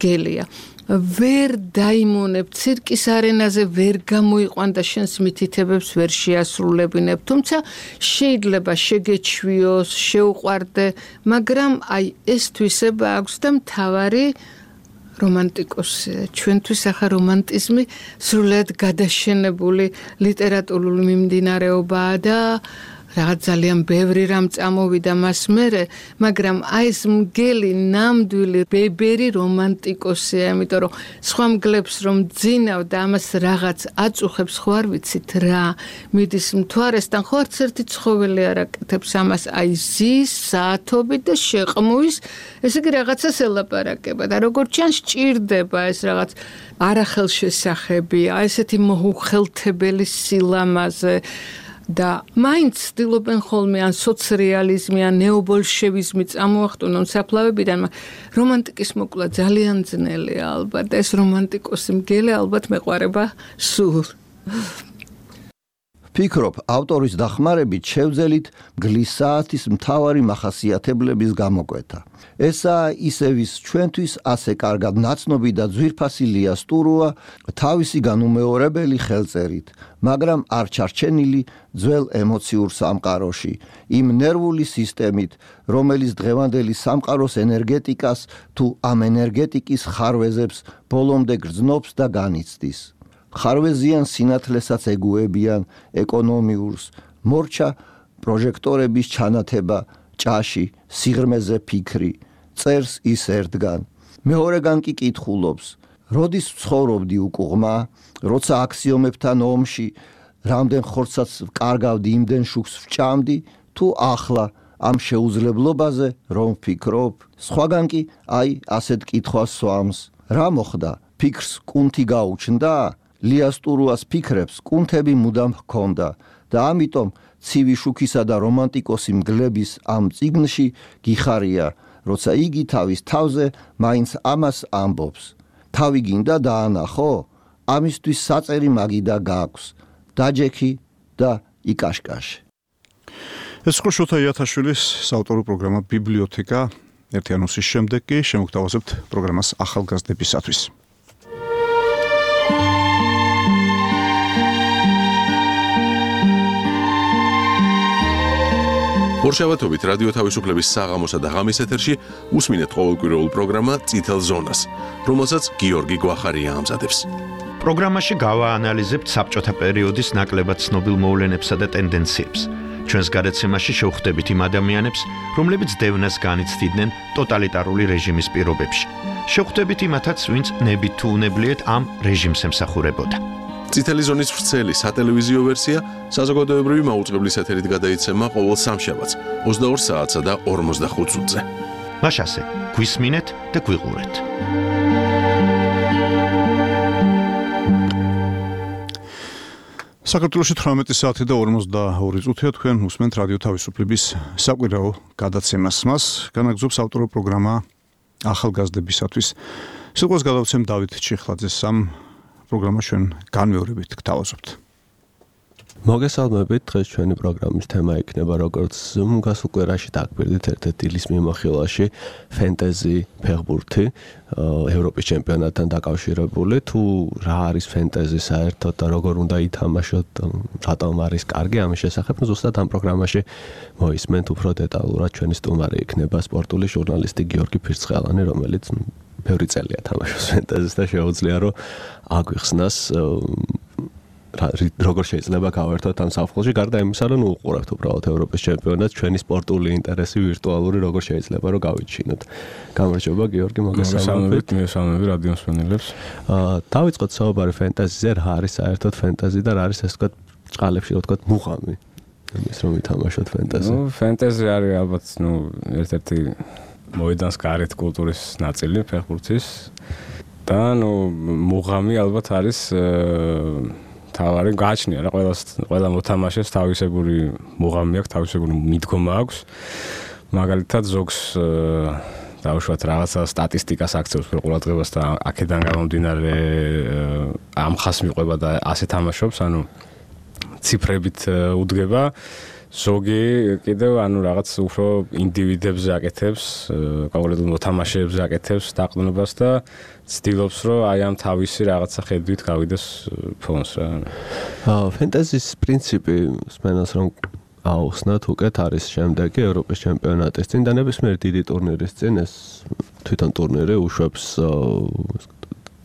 გელია. ვერ დაიმონებ ცირკის არენაზე ვერ გამოიყვან და შენს მითითებებს ვერ შეასრულებინებ. თუმცა შეიძლება შეგეჩვიოს, შეუყვარდე, მაგრამ აი ეს თვისება აქვს და მთავარი რომანტიკოსია. ჩვენთვის ახლა რომანტიზმი სრულად გადაშენებული ლიტერატურული მიმდინარეობაა და რაღაც ძალიან ბევრი რამ წამოვიდა მას მერე, მაგრამ აი ეს მგელი ნამდვილი ბებერი რომანტიკოსია, იმიტომ რომ სხვა მგლებს რომ ძინავ და ამას რაღაც აწუხებს, ხო არ ვიცით რა, მიდის მთვარესთან, ხო არც ერთი ცხოველი არ აკეთებს ამას, აი ზის, საათობით და შეყმუის, ესე იგი რაღაცას ელაპარაკება და როგორც ჩანს ჭირდება ეს რაღაც არახელშესახებია, ესეთი მოუხელთებელი სილამაზე და მაინც ცდილობენ ხოლმე ან სოციალიზმი ან ნეობოლშევიზმი წამოახტუნონ საფლავებიდან, რომანტიკის მოკლა ძალიან ძნელია ალბათ და ეს რომანტიკოსი მგელი ალბათ მეყვარება სულ. ფიქრობ, ავტორის დახმარებით შევძელით მგლის საათის მთავარი მახასიათებლების გამოკვეთა. ესაა ისევის ჩვენთვის ასე კარგად ნაცნობი და ძვირფასი ლიასტურუა თავისი განუმეორებელი ხელწერით, მაგრამ არ ჩარჩენილი ძველ ემოციურ სამყაროში, იმ ნერვული სისტემით, რომელიც დღევანდელი სამყაროს ენერგეტიკას თუ ამ ენერგეტიკის ხარვეზებს ბოლომდე გრძნობს და განიცდის. ხარვეზიან სინათლესაც ეგუებიან ეკონომიურს, მორჩა პროჟექტორების ჩანათება, ჭაში, სიღრმეზე ფიქრი, წერს ის ერთგან. მეორეგან კი კითხულობს, როდის ცხოვრობდი უკუღმა, როცა აქსიომებთან ომში, რამდენ ხორცაც კარგავდი, იმდენ შუქს ვჭამდი, თუ ახლა ამ შეუძლებლობაზე რომ ვფიქრობ, სხვაგან კი აი ასეთ კითხვას სვამს. რა მოხდა? ფიქრს კუნთი გაუჩნდა? ლიასტურუას ფიქრებს კუნთები მუდამ ჰქონდა და ამიტომ ცივი შუქისა და რომანტიკოსი მგლების ამ წიგნში გიხარია, როცა იგი თავის თავზე მაინც ამას ამბობს. თავი გინდა დაანახო? ამისთვის საწერი მაგიდა გაქვს. დაჯექი და იკაშკაშე. ეს იყო შოთა იათაშვილის საავტორო პროგრამა ბიბლიოთეკა. ერთი ანონსის შემდეგ კი შემოგთავაზებთ პროგრამას ახალგაზრდებისათვის. ორშაბათობით რადიო თავისუფლების საღამოსა და ღამის ეთერში უსმინეთ ყოველკვირეულ პროგრამა წითელ ზონას, რომელსაც გიორგი გვახარია ამზადებს. პროგრამაში გავაანალიზებთ საბჭოთა პერიოდის ნაკლებად ცნობილ მოვლენებსა და ტენდენციებს. ჩვენს გადაცემაში შევხვდებით იმ ადამიანებს, რომლებიც დევნას განიცდიდნენ ტოტალიტარული რეჟიმის პირობებში. შევხვდებით იმათაც, ვინც ნებით თუ უნებლიეთ ამ რეჟიმს ემსახურებოდა. წითელი ზონის ვრცელი სატელევიზიო ვერსია საზოგადოებრივი მაუწყებლის ეთერით გადაიცემა ყოველ სამშაბათს 22 საათსა და 45 წუთზე. მაშასე, გვისმინეთ და გვიყურეთ. საქართველოში 18 საათი და 42 წუთია, თქვენ უსმენთ რადიო თავისუფლების საკვირაო გადაცემას. მას განაგზობს ავტორო პროგრამა ახალგაზრდებისათვის. სიტყვას გადავცემ დავით ჩიხლაძეს. ამ პროგრამა ჩვენ განმეორებით გთავაზობთ. მოგესალმებით, დღეს ჩვენი პროგრამის თემა იქნება როგორც გასულ კვირაში დაგვირდით ერთ-ერთი დილის მიმოხილვაში ფენტეზი ფეხბურთი ევროპის ჩემპიონატთან დაკავშირებული, თუ რა არის ფენტეზი საერთოდ და როგორ უნდა ითამაშოთ, რატომ არის კარგი ამის შესახებ, ზუსტად ამ პროგრამაში მოისმენთ უფრო დეტალურად. ჩვენი სტუმარი იქნება სპორტული ჟურნალისტი გიორგი ფირცხელანი, რომელიც ბევრი წელია თამაშობს ფენტეზის და შეუძლია რომ აგვიხსნას როგორ შეიძლება გავერთოთ ამ საფხულში, გარდა იმისა, რომ უყურებთ უბრალოდ ევროპის ჩემპიონატს, ჩვენი სპორტული ინტერესი ვირტუალური როგორ შეიძლება რომ გავიჩინოთ. გამარჯობა გიორგი, მოგესალმებით. მოგესალმებით რადიო მსმენელებს. დავიწყოთ საუბარი ფენტეზიზე, რა არის საერთოდ ფენტეზი და რა არის ეს თქვა წყალებში რო თქვა მუღამი. ის რომ ითამაშოთ ფენტეზი. ფენტეზი არის ალბათ ერთ-ერთი მოედანს გარეთ კულტურის ნაწილი ფეხბურთის და მუღამი ალბათ არის თავარი გააჩნია რა ყველა მოთამაშეს თავისებური მუღამი აქვს, თავისებური მიდგომა აქვს. მაგალითად ზოგს დაუშვათ რაღაცა სტატისტიკას აქცევს ყურადღებას და აქედან გამომდინარე ამ ხას მიყვება და ასე თამაშობს, ანუ ციფრებით უდგება. ზოგი კიდევ რაღაც უფრო ინდივიდებზე აკეთებს, კონკრეტულ მოთამაშეებზე აკეთებს დაყრდნობას და ცდილობს რომ აი ამ თავისი რაღაცა ხედვით გავიდეს ფონს რა. ფენტეზის პრინციპი სმენელს რომ აუხსნათ უკეთ არის შემდეგი ევროპის ჩემპიონატის წინ და ნებისმიერ დიდი ტურნირის წინ ეს თვითონ ტურნირი უშვებს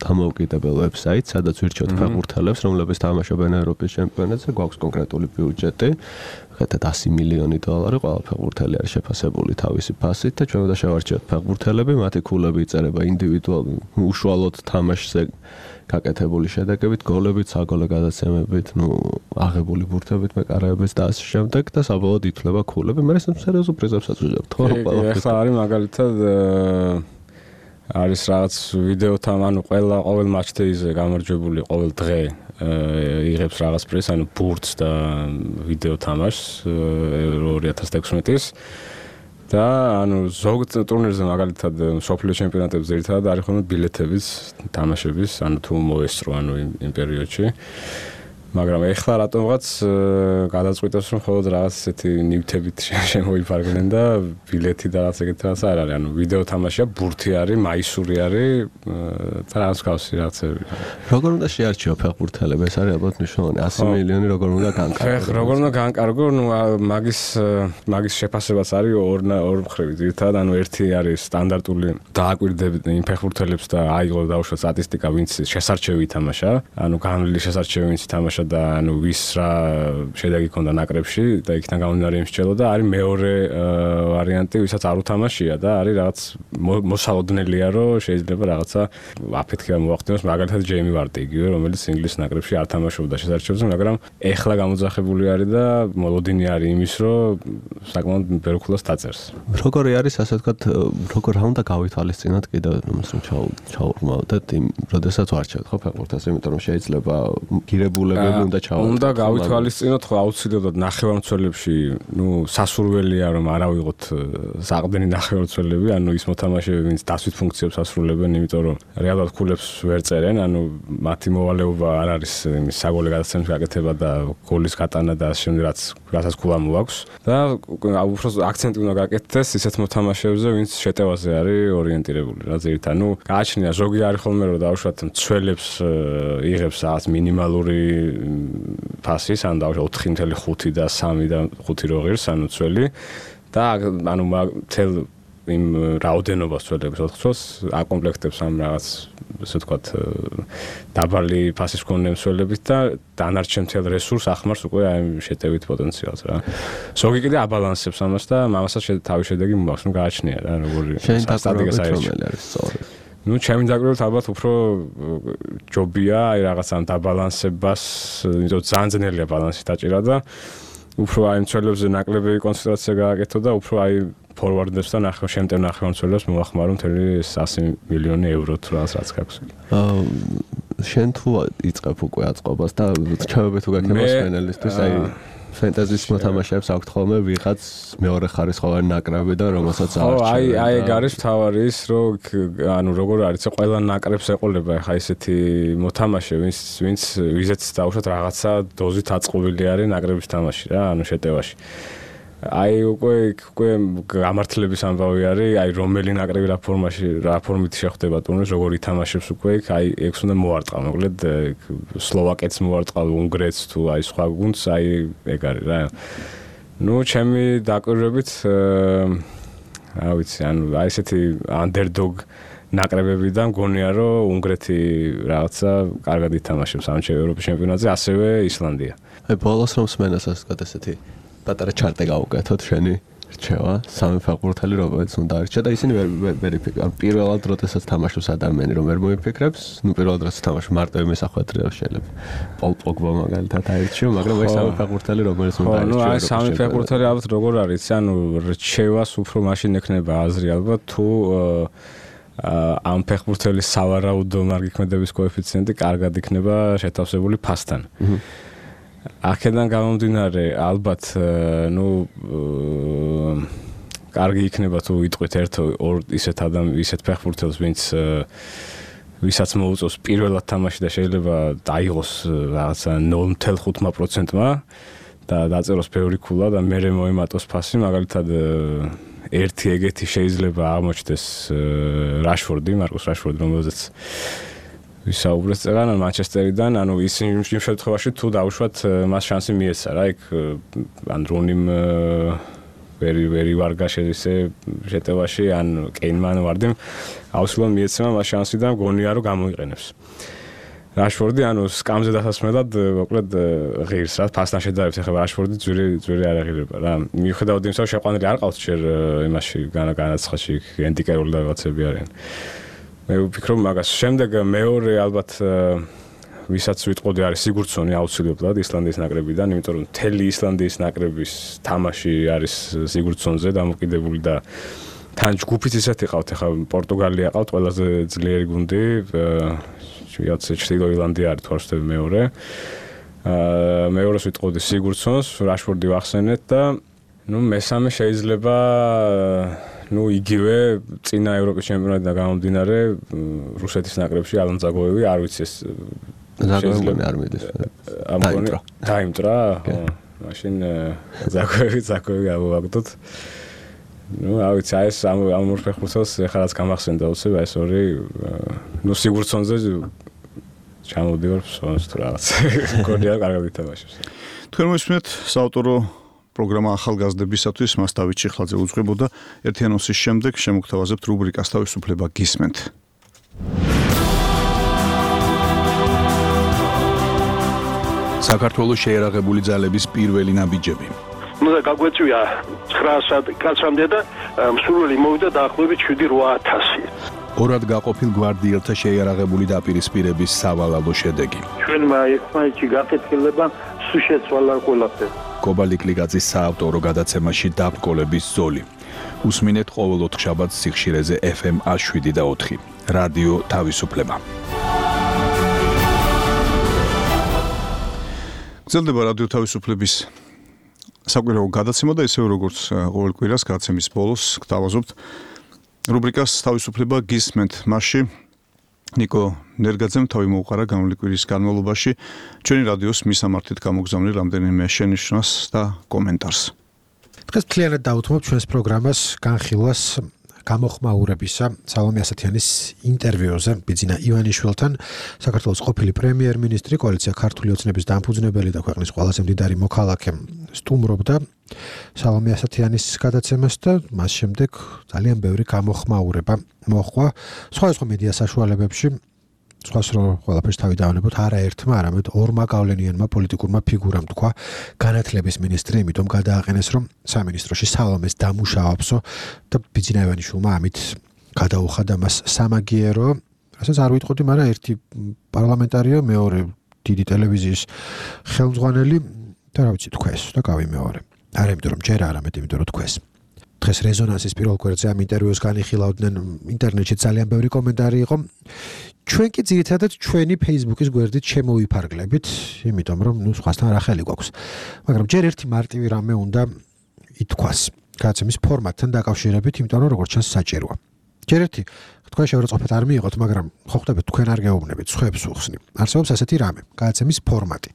დამოუკიდებელ ვებსაიტს, სადაც ვირჩევთ ფეხბურთელებს, რომლებიც თამაშობენ ევროპის ჩემპიონატზე, გვაქვს კონკრეტული ბიუჯეტი. ხეთად 100 მილიონი დოლარი ყველა ფეხბურთელი არის შეფასებული თავისი ფასით და ჩვენ უნდა შევარჩიოთ ფეხბურთელები, მათი ქულები იწერება ინდივიდუალურ უშუალოდ თამაშზე გაკეთებული შედეგებით, გოლებით, საგოლე გადაცემებით, აღებული ბურთებით, მეკარეებით და ასე შემდეგ და საბოლოოდ ითვლება ქულები. მე სერიოზულ პრიზებსაც ვიღებთ, ხო? ეხლა არის მაგალითად არის რაღაც ვიდეოთან, ანუ ყოველ მატჩდეიზე გამარჯვებული ყოველ დღე იღებს რაღაც პრიზს, ანუ ბურთს და ვიდეო თამაშს 2016-ის და ანუ ზოგ ტურნირზე მაგალითად სოფლიო ჩემპიონატებზე ერთად არის ხოლმე ბილეთების თამაშების, ანუ თუ მოესწრო ანუ იმ პერიოდში. მაგრამ ეხლა რატომღაც გადაწყვიტავს რომ მხოლოდ რაღაც ესეთი ნივთებით შემოიფარგლენ და ბილეთი და რაღაც ეგეთი რაღაც არ არის. ანუ ვიდეო თამაშია, ბურთი არის, მაისური არის და რაღაც გავსი რაღაცები. როგორ უნდა შეარჩიო ფეხბურთელები? ეს არის ალბათ მნიშვნელოვანი. 100 მილიონი როგორ უნდა განკარგო? როგორ უნდა განკარგო? მაგის შეფასებაც არის ორ მხრივი. ერთად ანუ ერთი არის სტანდარტული დააკვირდებით იმ ფეხბურთელებს და აიღო დაუშვათ სტატისტიკა, ვინც შესარჩევი ითამაშა, ანუ განვლილი შესარჩევი ვინც ითამაშა და ანუ ვის რა შედეგი ჰქონდა ნაკრებში და იქიდან გამომდინარე იმსჯელოდა. არის მეორე ვარიანტი, ვისაც არ უთამაშია და არის რაღაც მოსალოდნელია, რომ შეიძლება რაღაცა აფეთქება მოახდინოს, მაგალითად ჯეიმი ვარტი იგივე, რომელიც ინგლისის ნაკრებში არ თამაშობდა შესარჩევზე, მაგრამ ეხლა გამოძახებული არის და მოლოდინი არის იმის, რომ საკმაოდ ბევრ ქულას დაწერს. როგორი არის, ასე ვთქვათ, როგორ უნდა გავითვალისწინოთ კიდევ რომ ჩაურმავდეთ იმ, როდესაც ვარჩევთ ხო ფეხბურთელს, იმიტომ რომ შეიძლება გირებულები უნდა გავითვალისწინოთ, ხო აუცილებლად ნახევარმცველებში, სასურველია რომ არ ავიღოთ საყრდენი ნახევარმცველები, ანუ ის მოთამაშეები, ვინც დასვით ფუნქციებს ასრულებენ, იმიტომ რომ რეალურად ქულებს ვერ წერენ, ანუ მათი მოვალეობა არ არის იმის საგოლე გადაცემის გაკეთება და გოლის გატანა და ამ შემდეგ რასაც ქულა მოაქვს და უბრალოდ აქცენტი უნდა გაკეთდეს ისეთ მოთამაშეებზე, ვინც შეტევაზე არის ორიენტირებული, რა ზირით, ანუ გააჩნია ზოგი არის ხოლმე რომ დაუშვათ მცველებს იღებს რაღაც მინიმალური ფასის, ან დაუშვათ 4.5 და 3 და 5 რო ღირს, ანუ ცველი და ანუ თელ იმ რაოდენობას ცველებს 4 წელს აკომპლექტებს ამ რაღაც ესე ვთქვათ დაბალი ფასის მქონე მცველებით და დანარჩენ მთელ რესურს ახმარს უკვე აი შეტევით პოტენციალს რა. ზოგი კიდე აბალანსებს ამას და ამასაც თავის შედეგი მოაქვს, ნუ გააჩნია რა როგორი სტატისტიკა არის სწორი. ჩემი დაკვირვებით ალბათ უფრო ჯობია აი რაღაც ამ დაბალანსებას, იმიტომ ძალიან ძნელია ბალანსი დაჭირა და უფრო აი მცველებზე ნაკლებები კონცენტრაცია გააკეთო და უფრო აი ფორვარდებს და შემტევ ნახევარმცველებს მოახმარო მთელი 100 მილიონი ევრო თუ რაც გაქვს. შენ თუ იწყებ უკვე აწყობას და ჩავები თუ გაქნება სპენელისთვის აი ფენტაზის მოთამაშეებს აქვთ ხოლმე ვიღაც მეორე ხარისხოვანი ნაკრები და რომელსაც არჩევენ. ხო, აი ეგ არის თავარი ის, რომ ანუ როგორ არის, ყველა ნაკრებს ეყოლება ხა ესეთი მოთამაშე, ვინც ვიზეც დაუშვათ რაღაცა დოზით აწყობილი არის ნაკრების თამაში რა, ანუ შეტევაში. აი უკვე გამართლების ამბავი არის, აი რომელი ნაკრები რა ფორმით შეხვდება ტურნირს, როგორ ითამაშებს უკვე იქ, აი ეგს უნდა მოარტყა, მოკლედ სლოვაკეთს მოარტყა, უნგრეთს თუ აი სხვა გუნდს, აი ეგ არის რა. ნუ ჩემი დაკვირვებით რა ვიცი, ანუ აი ესეთი underdog ნაკრებებიდან მგონია, რომ უნგრეთი რაღაცა კარგად ითამაშებს ამ ევროპის ჩემპიონატზე, ასევე ისლანდია. აი ბოლოს რომ სმენას ასე ვთქვათ ესეთი პატარა ჩარტე გავუკეთოთ შენი რჩევა, სამი ფეხბურთელი რომელიც უნდა არჩა და ისინი ვერ იფიქრებენ. პირველად როდესაც თამაშობს ადამიანი რომ ვერ მოიფიქრებს, ნუ პირველად როდესაც თამაშობს მარტო იმის ახალ შეიძლება. პოლ პოგბა მაგალითად აირჩიო, მაგრამ ეს სამი ფეხბურთელი რომელიც უნდა არჩიო. ნუ აი სამი ფეხბურთელი ალბათ როგორ არის, ანუ რჩევას უფრო მაშინ ექნება აზრი ალბათ თუ ამ ფეხბურთელის სავარაუდო მარგიქმედების კოეფიციენტი კარგად იქნება შეთავსებული ფასთან. აქედან გამომდინარე ალბათ ნუ კარგი იქნება თუ იტყვით ერთ ორ ისეთ ფეხბურთელს ვისაც მოუწევს პირველად თამაში და შეიძლება დაიღოს რაღაცა 0.5%-მა და დაწეროს ბევრი ქულა და მერე მოემატოს ფასი, მაგალითად ერთი ეგეთი შეიძლება აღმოჩნდეს რაშფორდი, მარკუს რაშფორდი, რომელზეც ვისაუბრეთ წეგან მანჩესტერიდან, ანუ ის იმ შემთხვევაში თუ დაუშვათ მას შანსი მიეცა რა, იქ ან რუნიმ ვერი ვარგა შეძე შეტევაში ან კეინმან ვარდი აუცილებლად მიეცემა მას შანსი და მგონია რომ გამოიყენებს. რაშფორდი ანუ სკამზე დასასმელად მოკლედ ღირს რა ფასთან შედარებით ახლა რაშფორდი ძვირი არ აღირება რა მიუხედავად იმისა რომ შეყვანილი არ ყავს ჯერ იმაში განაცხადში ენდიკერული და რაღაცები არიან მე ვფიქრობ მაგას შემდეგ მეორე ალბათ ვისაც ვიტყოდი არის სიგურდსონი აუცილებლად ისლანდიის ნაკრებიდან იმიტომ რომ მთელი ისლანდიის ნაკრების თამაში არის სიგურდსონზე დამოკიდებული და თან ჯგუფიც ისეთი ყავთ ახლა პორტუგალია ყავთ ყველაზე ძლიერი გუნდი ვიაც ჩრდილო ირლანდია არის თორსტები მეორე. მეორეს ვიტყოდი სიგურდსონს, რაშფორდი ვახსენეთ და ნუ მესამე შეიძლება იგივე წინა ევროპის ჩემპიონატიდან გამომდინარე რუსეთის ნაკრებში ალან ზაგოევი არ ვიცი ეს ზაგოევი არ მიდის. დაიმტრა. მაშინ ზაგოევი ავაგდოთ. არ ვიცი ეს ამ ორ ფეხბურთელს ეხლა რაც გამახსენდა უცებ ეს ორი სიგურდსონზე ჩამოვდივარ ფსონს თუ რაღაც გონია კარგად ითამაშებს. თქვენ მოისმენთ საავტორო პროგრამა ახალგაზრდებისათვის მას დავით ჩიხლაძე უძღვებოდა ერთიანოსის შემდეგ შემოგთავაზებთ რუბრიკას თავისუფლება გისმენთ. საქართველოს შეერაღებული ძალების პირველი ნაბიჯები. უნდა გაგვეწვია 900 კაცამდე და მსურველი მოვიდა დაახლოებით 7-8000. ორად გაყოფილ გვარდიელთა შეიარაღებული დაპირისპირების სავალალო შედეგი. ჩვენმა ერთმანეთში გაკეთილება სულ შეცვალა ყველაფერი. კობალიკლიკაძის საავტორო გადაცემაში დაბრკოლების ზოლი. უსმინეთ ყოველ 4 შაბათს სიხშირეზე FM 107 და 4. რადიო თავისუფლება. გრძელდება რადიო თავისუფლების საკვირაო გადაცემა და ისევ როგორც ყოველ კვირას გადაცემის ბოლოს გთავაზობთ რუბრიკას თავისუფლება გისმენთ. მასში ნიკო ნერგაძემ თავი მოუყარა გამოვლილი კვირის განმავლობაში ჩვენი რადიოს მისამართით გამოგზავნილ რამდენიმე შენიშვნას და კომენტარს. დღეს მთლიანად დავუთმობ ჩვენს პროგრამას განხილვას გამოხმაურებისა სალომე ასათიანის ინტერვიუზე ბიძინა ივანიშვილთან საქართველოს ყოფილი პრემიერ-მინისტრი კოალიცია ქართული ოცნების დამფუძნებელი და ქვეყნის ყველაზე მდიდარი მოქალაქე სტუმრობდა სალომე ასათიანის გადაცემას და მას შემდეგ ძალიან ბევრი გამოხმაურება მოხდა სხვადასხვა მედია საშუალებებში სხვას რო ყველაფერს თავი დავანებოთ არა ერთმა არამედ ორმა გავლენიანმა პოლიტიკურმა ფიგურამ თქვა განათლების მინისტრი იმიტომ გადააყენეს რომ სამინისტროში სალომეს დამუშავებსო და ბიძინა ივანიშვილმა ამით გადაუხადა მას სამაგიერო რასაც არ ვიტყოდი მაგრამ ერთი პარლამენტარია მეორე დიდი ტელევიზიის ხელმძღვანელი და რა ვიცი თქვეს და გავიმეორე არა იმიტომ რომ ჯერ არამედ იმიტომ რომ თქვეს დღეს რეზონანსის პირველ კვირტზე ამ ინტერვიუს განიხილავდნენ ინტერნეტში ძალიან ბევრი კომენტარი იყო ჩვენ კი ძირითადად ჩვენი Facebook-ის გვერდით შემოვიფარგლებით, იმიტომ რომ სხვასთან რა ხელი გვაქვს. მაგრამ ჯერ ერთი მარტივი რამე უნდა ითქვას. გადაცემის ფორმატთან დაკავშირებით, იმიტომ რომ როგორც ჩანს საჭიროა. ჯერ ერთი თქვენ შეურაცხყოფით არ მიიღოთ, მაგრამ ხო ხვდებით თქვენ არ გეუბნებით, სხვებს უხსნი. არსებობს ასეთი რამე, გადაცემის ფორმატი.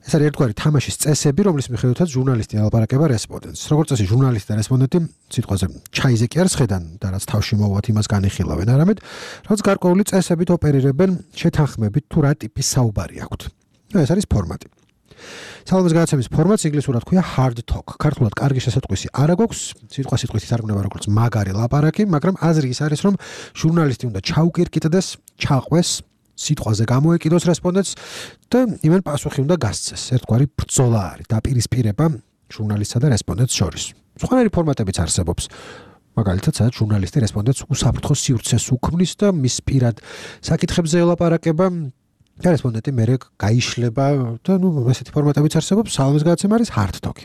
ეს არის ერთგვარი თამაშის წესები, რომლის მიხედვითაც ჟურნალისტი ალაპარაკება რესპონდენტს. როგორც წესი, ჟურნალისტი და რესპონდენტი სიტყვაზე ჩაიზე კი არ სხედან და რაც თავში მოვათ იმას განიხილავენ, არამედ რაც გარკვეული წესებით ოპერირებენ შეთანხმებით თუ რა ტიპის საუბარი აქვთ. ეს არის ფორმატი. სალომეს გადაცემის ფორმატს ინგლისურად ქვია hard talk. ქართულად კარგი შესატყვისი არ აქვს, სიტყვასიტყვით ითარგმნება როგორც მაგარი ლაპარაკი, მაგრამ აზრი ის არის, რომ ჟურნალისტი უნდა ჩაუკირკიტდეს, ჩაყვეს სიტყვაზე გამოეკიდოს რესპონდენტს და იმენ პასუხი უნდა გასცეს. ერთგვარი ბრძოლა არის, დაპირისპირება ჟურნალისტსა და რესპონდენტს შორის. სხვანაირი ფორმატებიც არსებობს. მაგალითად, სადაც ჟურნალისტი რესპონდენტს უსაფრთხო სივრცეს უქმნის და მის პირად საკითხებზე ელაპარაკება და რესპონდენტი მერე გაიშლება და ესეთი ფორმატებიც არსებობს. სალომეს გადაცემა არის hard talk.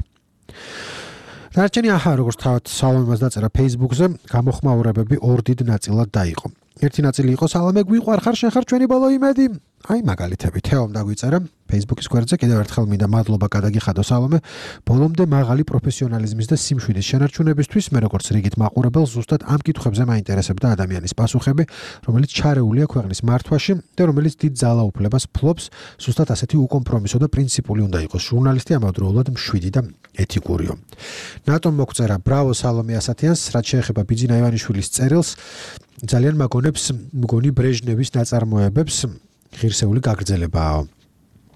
დარჩენი როგორც თავად სალომემას დაწერა Facebook-ზე, გამოხმაურებები ორ დიდ ნაწილად დაიყო. ერთი ნაწილი იყო სალომე გვიყვარხარ შენ ხარ ჩვენი ბოლო იმედი. აი მაგალითები თეომ დაგვიწერა Facebook-ის გვერდზე კიდევ ერთხელ მინდა მადლობა გადაგიხადო სალომე ბოლომდე მაღალი პროფესიონალიზმის და სიმშვიდის შენარჩუნებისთვის მე როგორც რიგით მაყურებელს ზუსტად ამ კითხვებზე მაინტერესებდა ადამიანის პასუხები რომელიც ჩარეულია ქვეყნის მართვაში და რომელიც დიდ ძალაუფლებას ფლობს ზუსტად ასეთი უკომპრომისო და პრინციპული უნდა იყოს ჟურნალისტი ამავდროულად მშვიდი და ეთიკურიო ნატომ მოგწერა ბრავო სალომე ასათიანს რაც შეეხება ბიძინა ივანიშვილის წერილს ძალიან მაგონებს მგონი ბრეჟნევის ნაწარმოებებს ღირსეული გაგრძელებაა.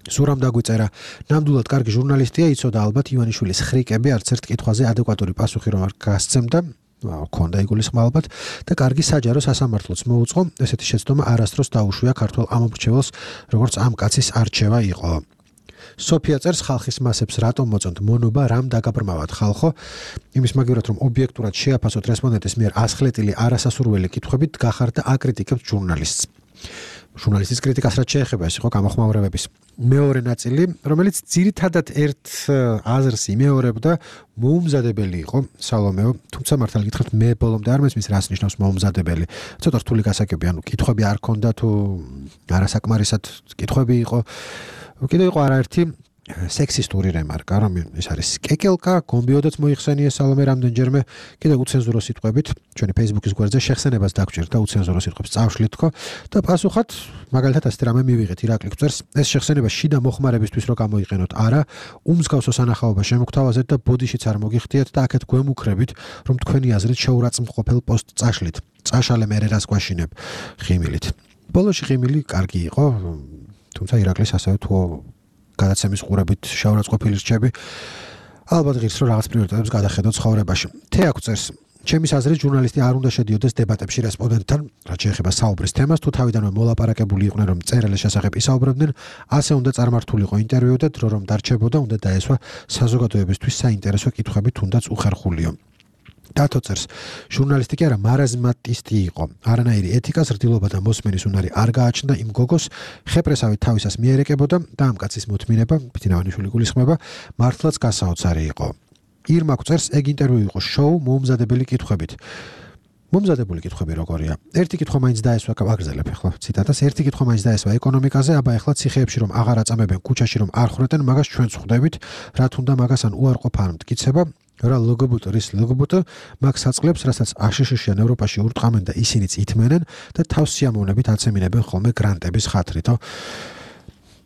სურამ დაგვიწერა. ნამდვილად კარგი ჟურნალისტია, იცოდა ალბათ ივანიშვილის ხრიკები არც ერთ კითხვაზე ადეკვატური პასუხი რომ არ გასცემდა. ქონდა იგულისხმა ალბათ და კარგი საჯარო სასამართლოც მოუწყო. ესეთი შეცდომა არასდროს დაუშვია ქართველ ამომრჩეველს, როგორც ამ კაცის არჩევა იყო. სოფია წერს ხალხის მასებს რატომ მოწონთ მონობა, რამ დაგაბრმავათ ხალხო? იმის მაგივრად რომ ობიექტურად შეაფასოთ რესპონდენტის მიერ ასხლეტილი არასასურველი კითხვებით გახარდა აკრიტიკებთ ჟურნალისტს. ჟურნალისტის კრიტიკას რაც შეეხება ეს იყო გამოხმაურებების მეორე ნაწილი, რომელიც ძირითადად ერთ აზრს იმეორებდა, მოუმზადებელი იყო სალომეო, თუმცა მართალი გითხრათ მე ბოლომდე არ მესმის რას ნიშნავს მოუმზადებელი. ცოტა რთული გასაგები, ანუ კითხვები არ ქონდა თუ არასაკმარისად კითხვები იყო. კიდე იყო არაერთი სექსისტური რემარკა, რომ ეს არის კეკელკა, გომბიოდაც მოიხსენიეს სალომე რამდენჯერმე, კიდე უცენზურო სიტყვებით, ჩვენი Facebook-ის გვერდზე შეხსენებას დაგჭირდა უცენზურო სიტყვებს წავშლით თქო და პასუხად მაგალითად ასეთი რამე მივიღეთ ირაკლი გვწერს, ეს შეხსენება შიდა მოხმარებისთვის რო გამოიყენოთ, არა, უმსგავსო სანახაობა შემოგთავაზეთ და ბოდიშიც არ მოგიხდიათ და აქეთ გვემუქრებით, რომ თქვენი აზრით შეურაცხმყოფელ პოსტ წაშლით. წაშალე მერე რას გვაშინებ ხიმილით. ბოლოში ხიმილი კარგი იყო, თუმცა ირაკლის ასევე თუ გადაცემის ყურებით შეურაცხყოფილი რჩები ალბათ ღირს რომ რაღაც პრიორიტეტებს გადახედოთ ცხოვრებაში. თეაკ წერს, ჩემის აზრით ჟურნალისტი არ უნდა შედიოდეს დებატებში რესპონდენტთან, რაც შეეხება საუბრის თემას, თუ თავიდანვე მოლაპარაკებული იყვნენ რომ წერილების შესახებ ისაუბრებდნენ, ასე უნდა წარმართულიყო ინტერვიუ და დრო რომ დარჩებოდა, უნდა დაესვა საზოგადოებისთვის საინტერესო კითხვები, თუნდაც უხერხულიო. დათო წერს, ჟურნალისტი კი არა მარაზმატისტი იყო. არანაირი ეთიკა, ზრდილობა და მოსმენის უნარი არ გააჩნდა იმ გოგოს, ხეპრესავით თავისას მიერეკებოდა და ამ კაცის მოთმინება, ბიძინავანიშვილი გულისხმება, მართლაც გასაოცარი იყო. ირმა წერს, ეგ ინტერვიუ იყო შოუ მოუმზადებელი კითხვებით. მომზადებული კითხვები როგორია? ერთი კითხვა მაინც დაესვა, აგრძელებ ახლა ციტატას, ერთი კითხვა მაინც დაესვა ეკონომიკაზე, აბა ახლა ციხეებში რომ აღარ აწამებენ, ქუჩაში რომ არ ხრეტენ, მაგას ჩვენც ხვდებით, რა თუნდა მაგას ან უარყოფ არ მტკიცება. რა ლოგობუტო რის ლოგობუტო მაგ საწყლებს, რასაც აშშ-შიან ევროპაში ურტყამენ და ისინიც ითმენენ და თავს სიამოვნებით აცემინებენ ხოლმე გრანტების ხათრითო.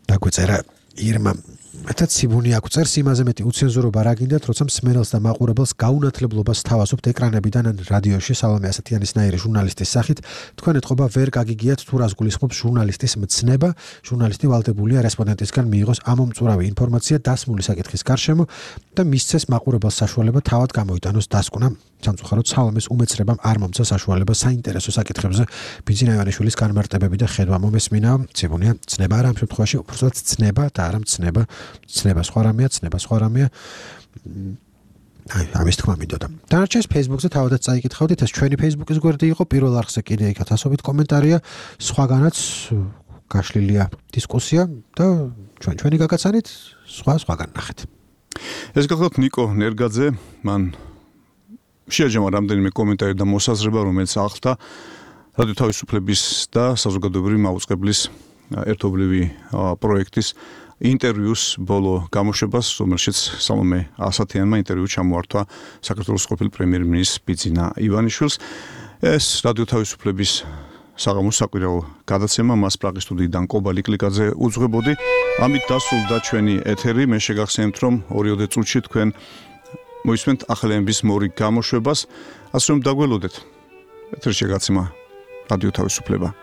დაგვეწერა ირმა. მეთაც სიბუნი აგვწერს, იმაზე მეტი უცენზურობა რა გინდათ, როცა მსმენელს და მაყურებელს გაუნათლებლობას თავაზობთ ეკრანებიდან ან რადიოში სალომე ასათიანისნაირი ჟურნალისტის სახით, თქვენ ეთყობა ვერ გაგიგიათ თუ რას გულისხმობს ჟურნალისტის მცნება, ჟურნალისტი ვალდებულია რესპონდენტისგან მიიღოს ამომწურავი ინფორმაცია დასმული საკითხის გარშემო და მისცეს მაყურებელს საშუალება თავად გამოიტანოს დასკვნა. სამწუხაროდ სალომეს უმეცრებამ არ მომცა საშუალება საინტერესო საკითხებზე ბიძინავანიშვილის განმარტებები და ხედვა მომესმინა. ცებუნია, ცნება არა ამ შემთხვევაში, უბრალოდ ცნება და არა მცნება. ცნება სხვა რამეა, ცნება სხვა რამეა. ამის თქმა მინდოდა. დანარჩენს Facebook-ზე თავადაც წაიკითხავდით, ეს ჩვენი Facebook-ის გვერდი იყო, პირველ არხზე კიდე იქ 1000-ობით კომენტარია, სხვაგანაც გაშლილია დისკუსია და ჩვენი გაგაცანით სხვაგან ნახეთ. ეს გახლავთ ნიკო ნერგაძე, მან შეაჯამა რამდენიმე კომენტარი და მოსაზრება, რომელიც ახლდა რადიო თავისუფლების და საზოგადოებრივი მაუწყებლის ერთობლივი პროექტის ინტერვიუს ბოლო გამოშვებას, რომელშიც სალომე ასათიანმა ინტერვიუ ჩამოართვა საქართველოს ყოფილ პრემიერ-მინისტრს ბიძინა ივანიშვილს. ეს რადიო თავისუფლების საღამოს საკვირაო გადაცემა მას პრაღის სტუდიიდან კობალი კლიკაძე უძღვებოდი. ამით დასრულდა ჩვენი ეთერი. მე შეგახსენებთ, რომ 2 წუთში თქვენ მოისმენთ ახალების მორიგ გამოშვებას, ასე რომ დაგველოდეთ ეთერში გადაცემა რადიო თავისუფლება.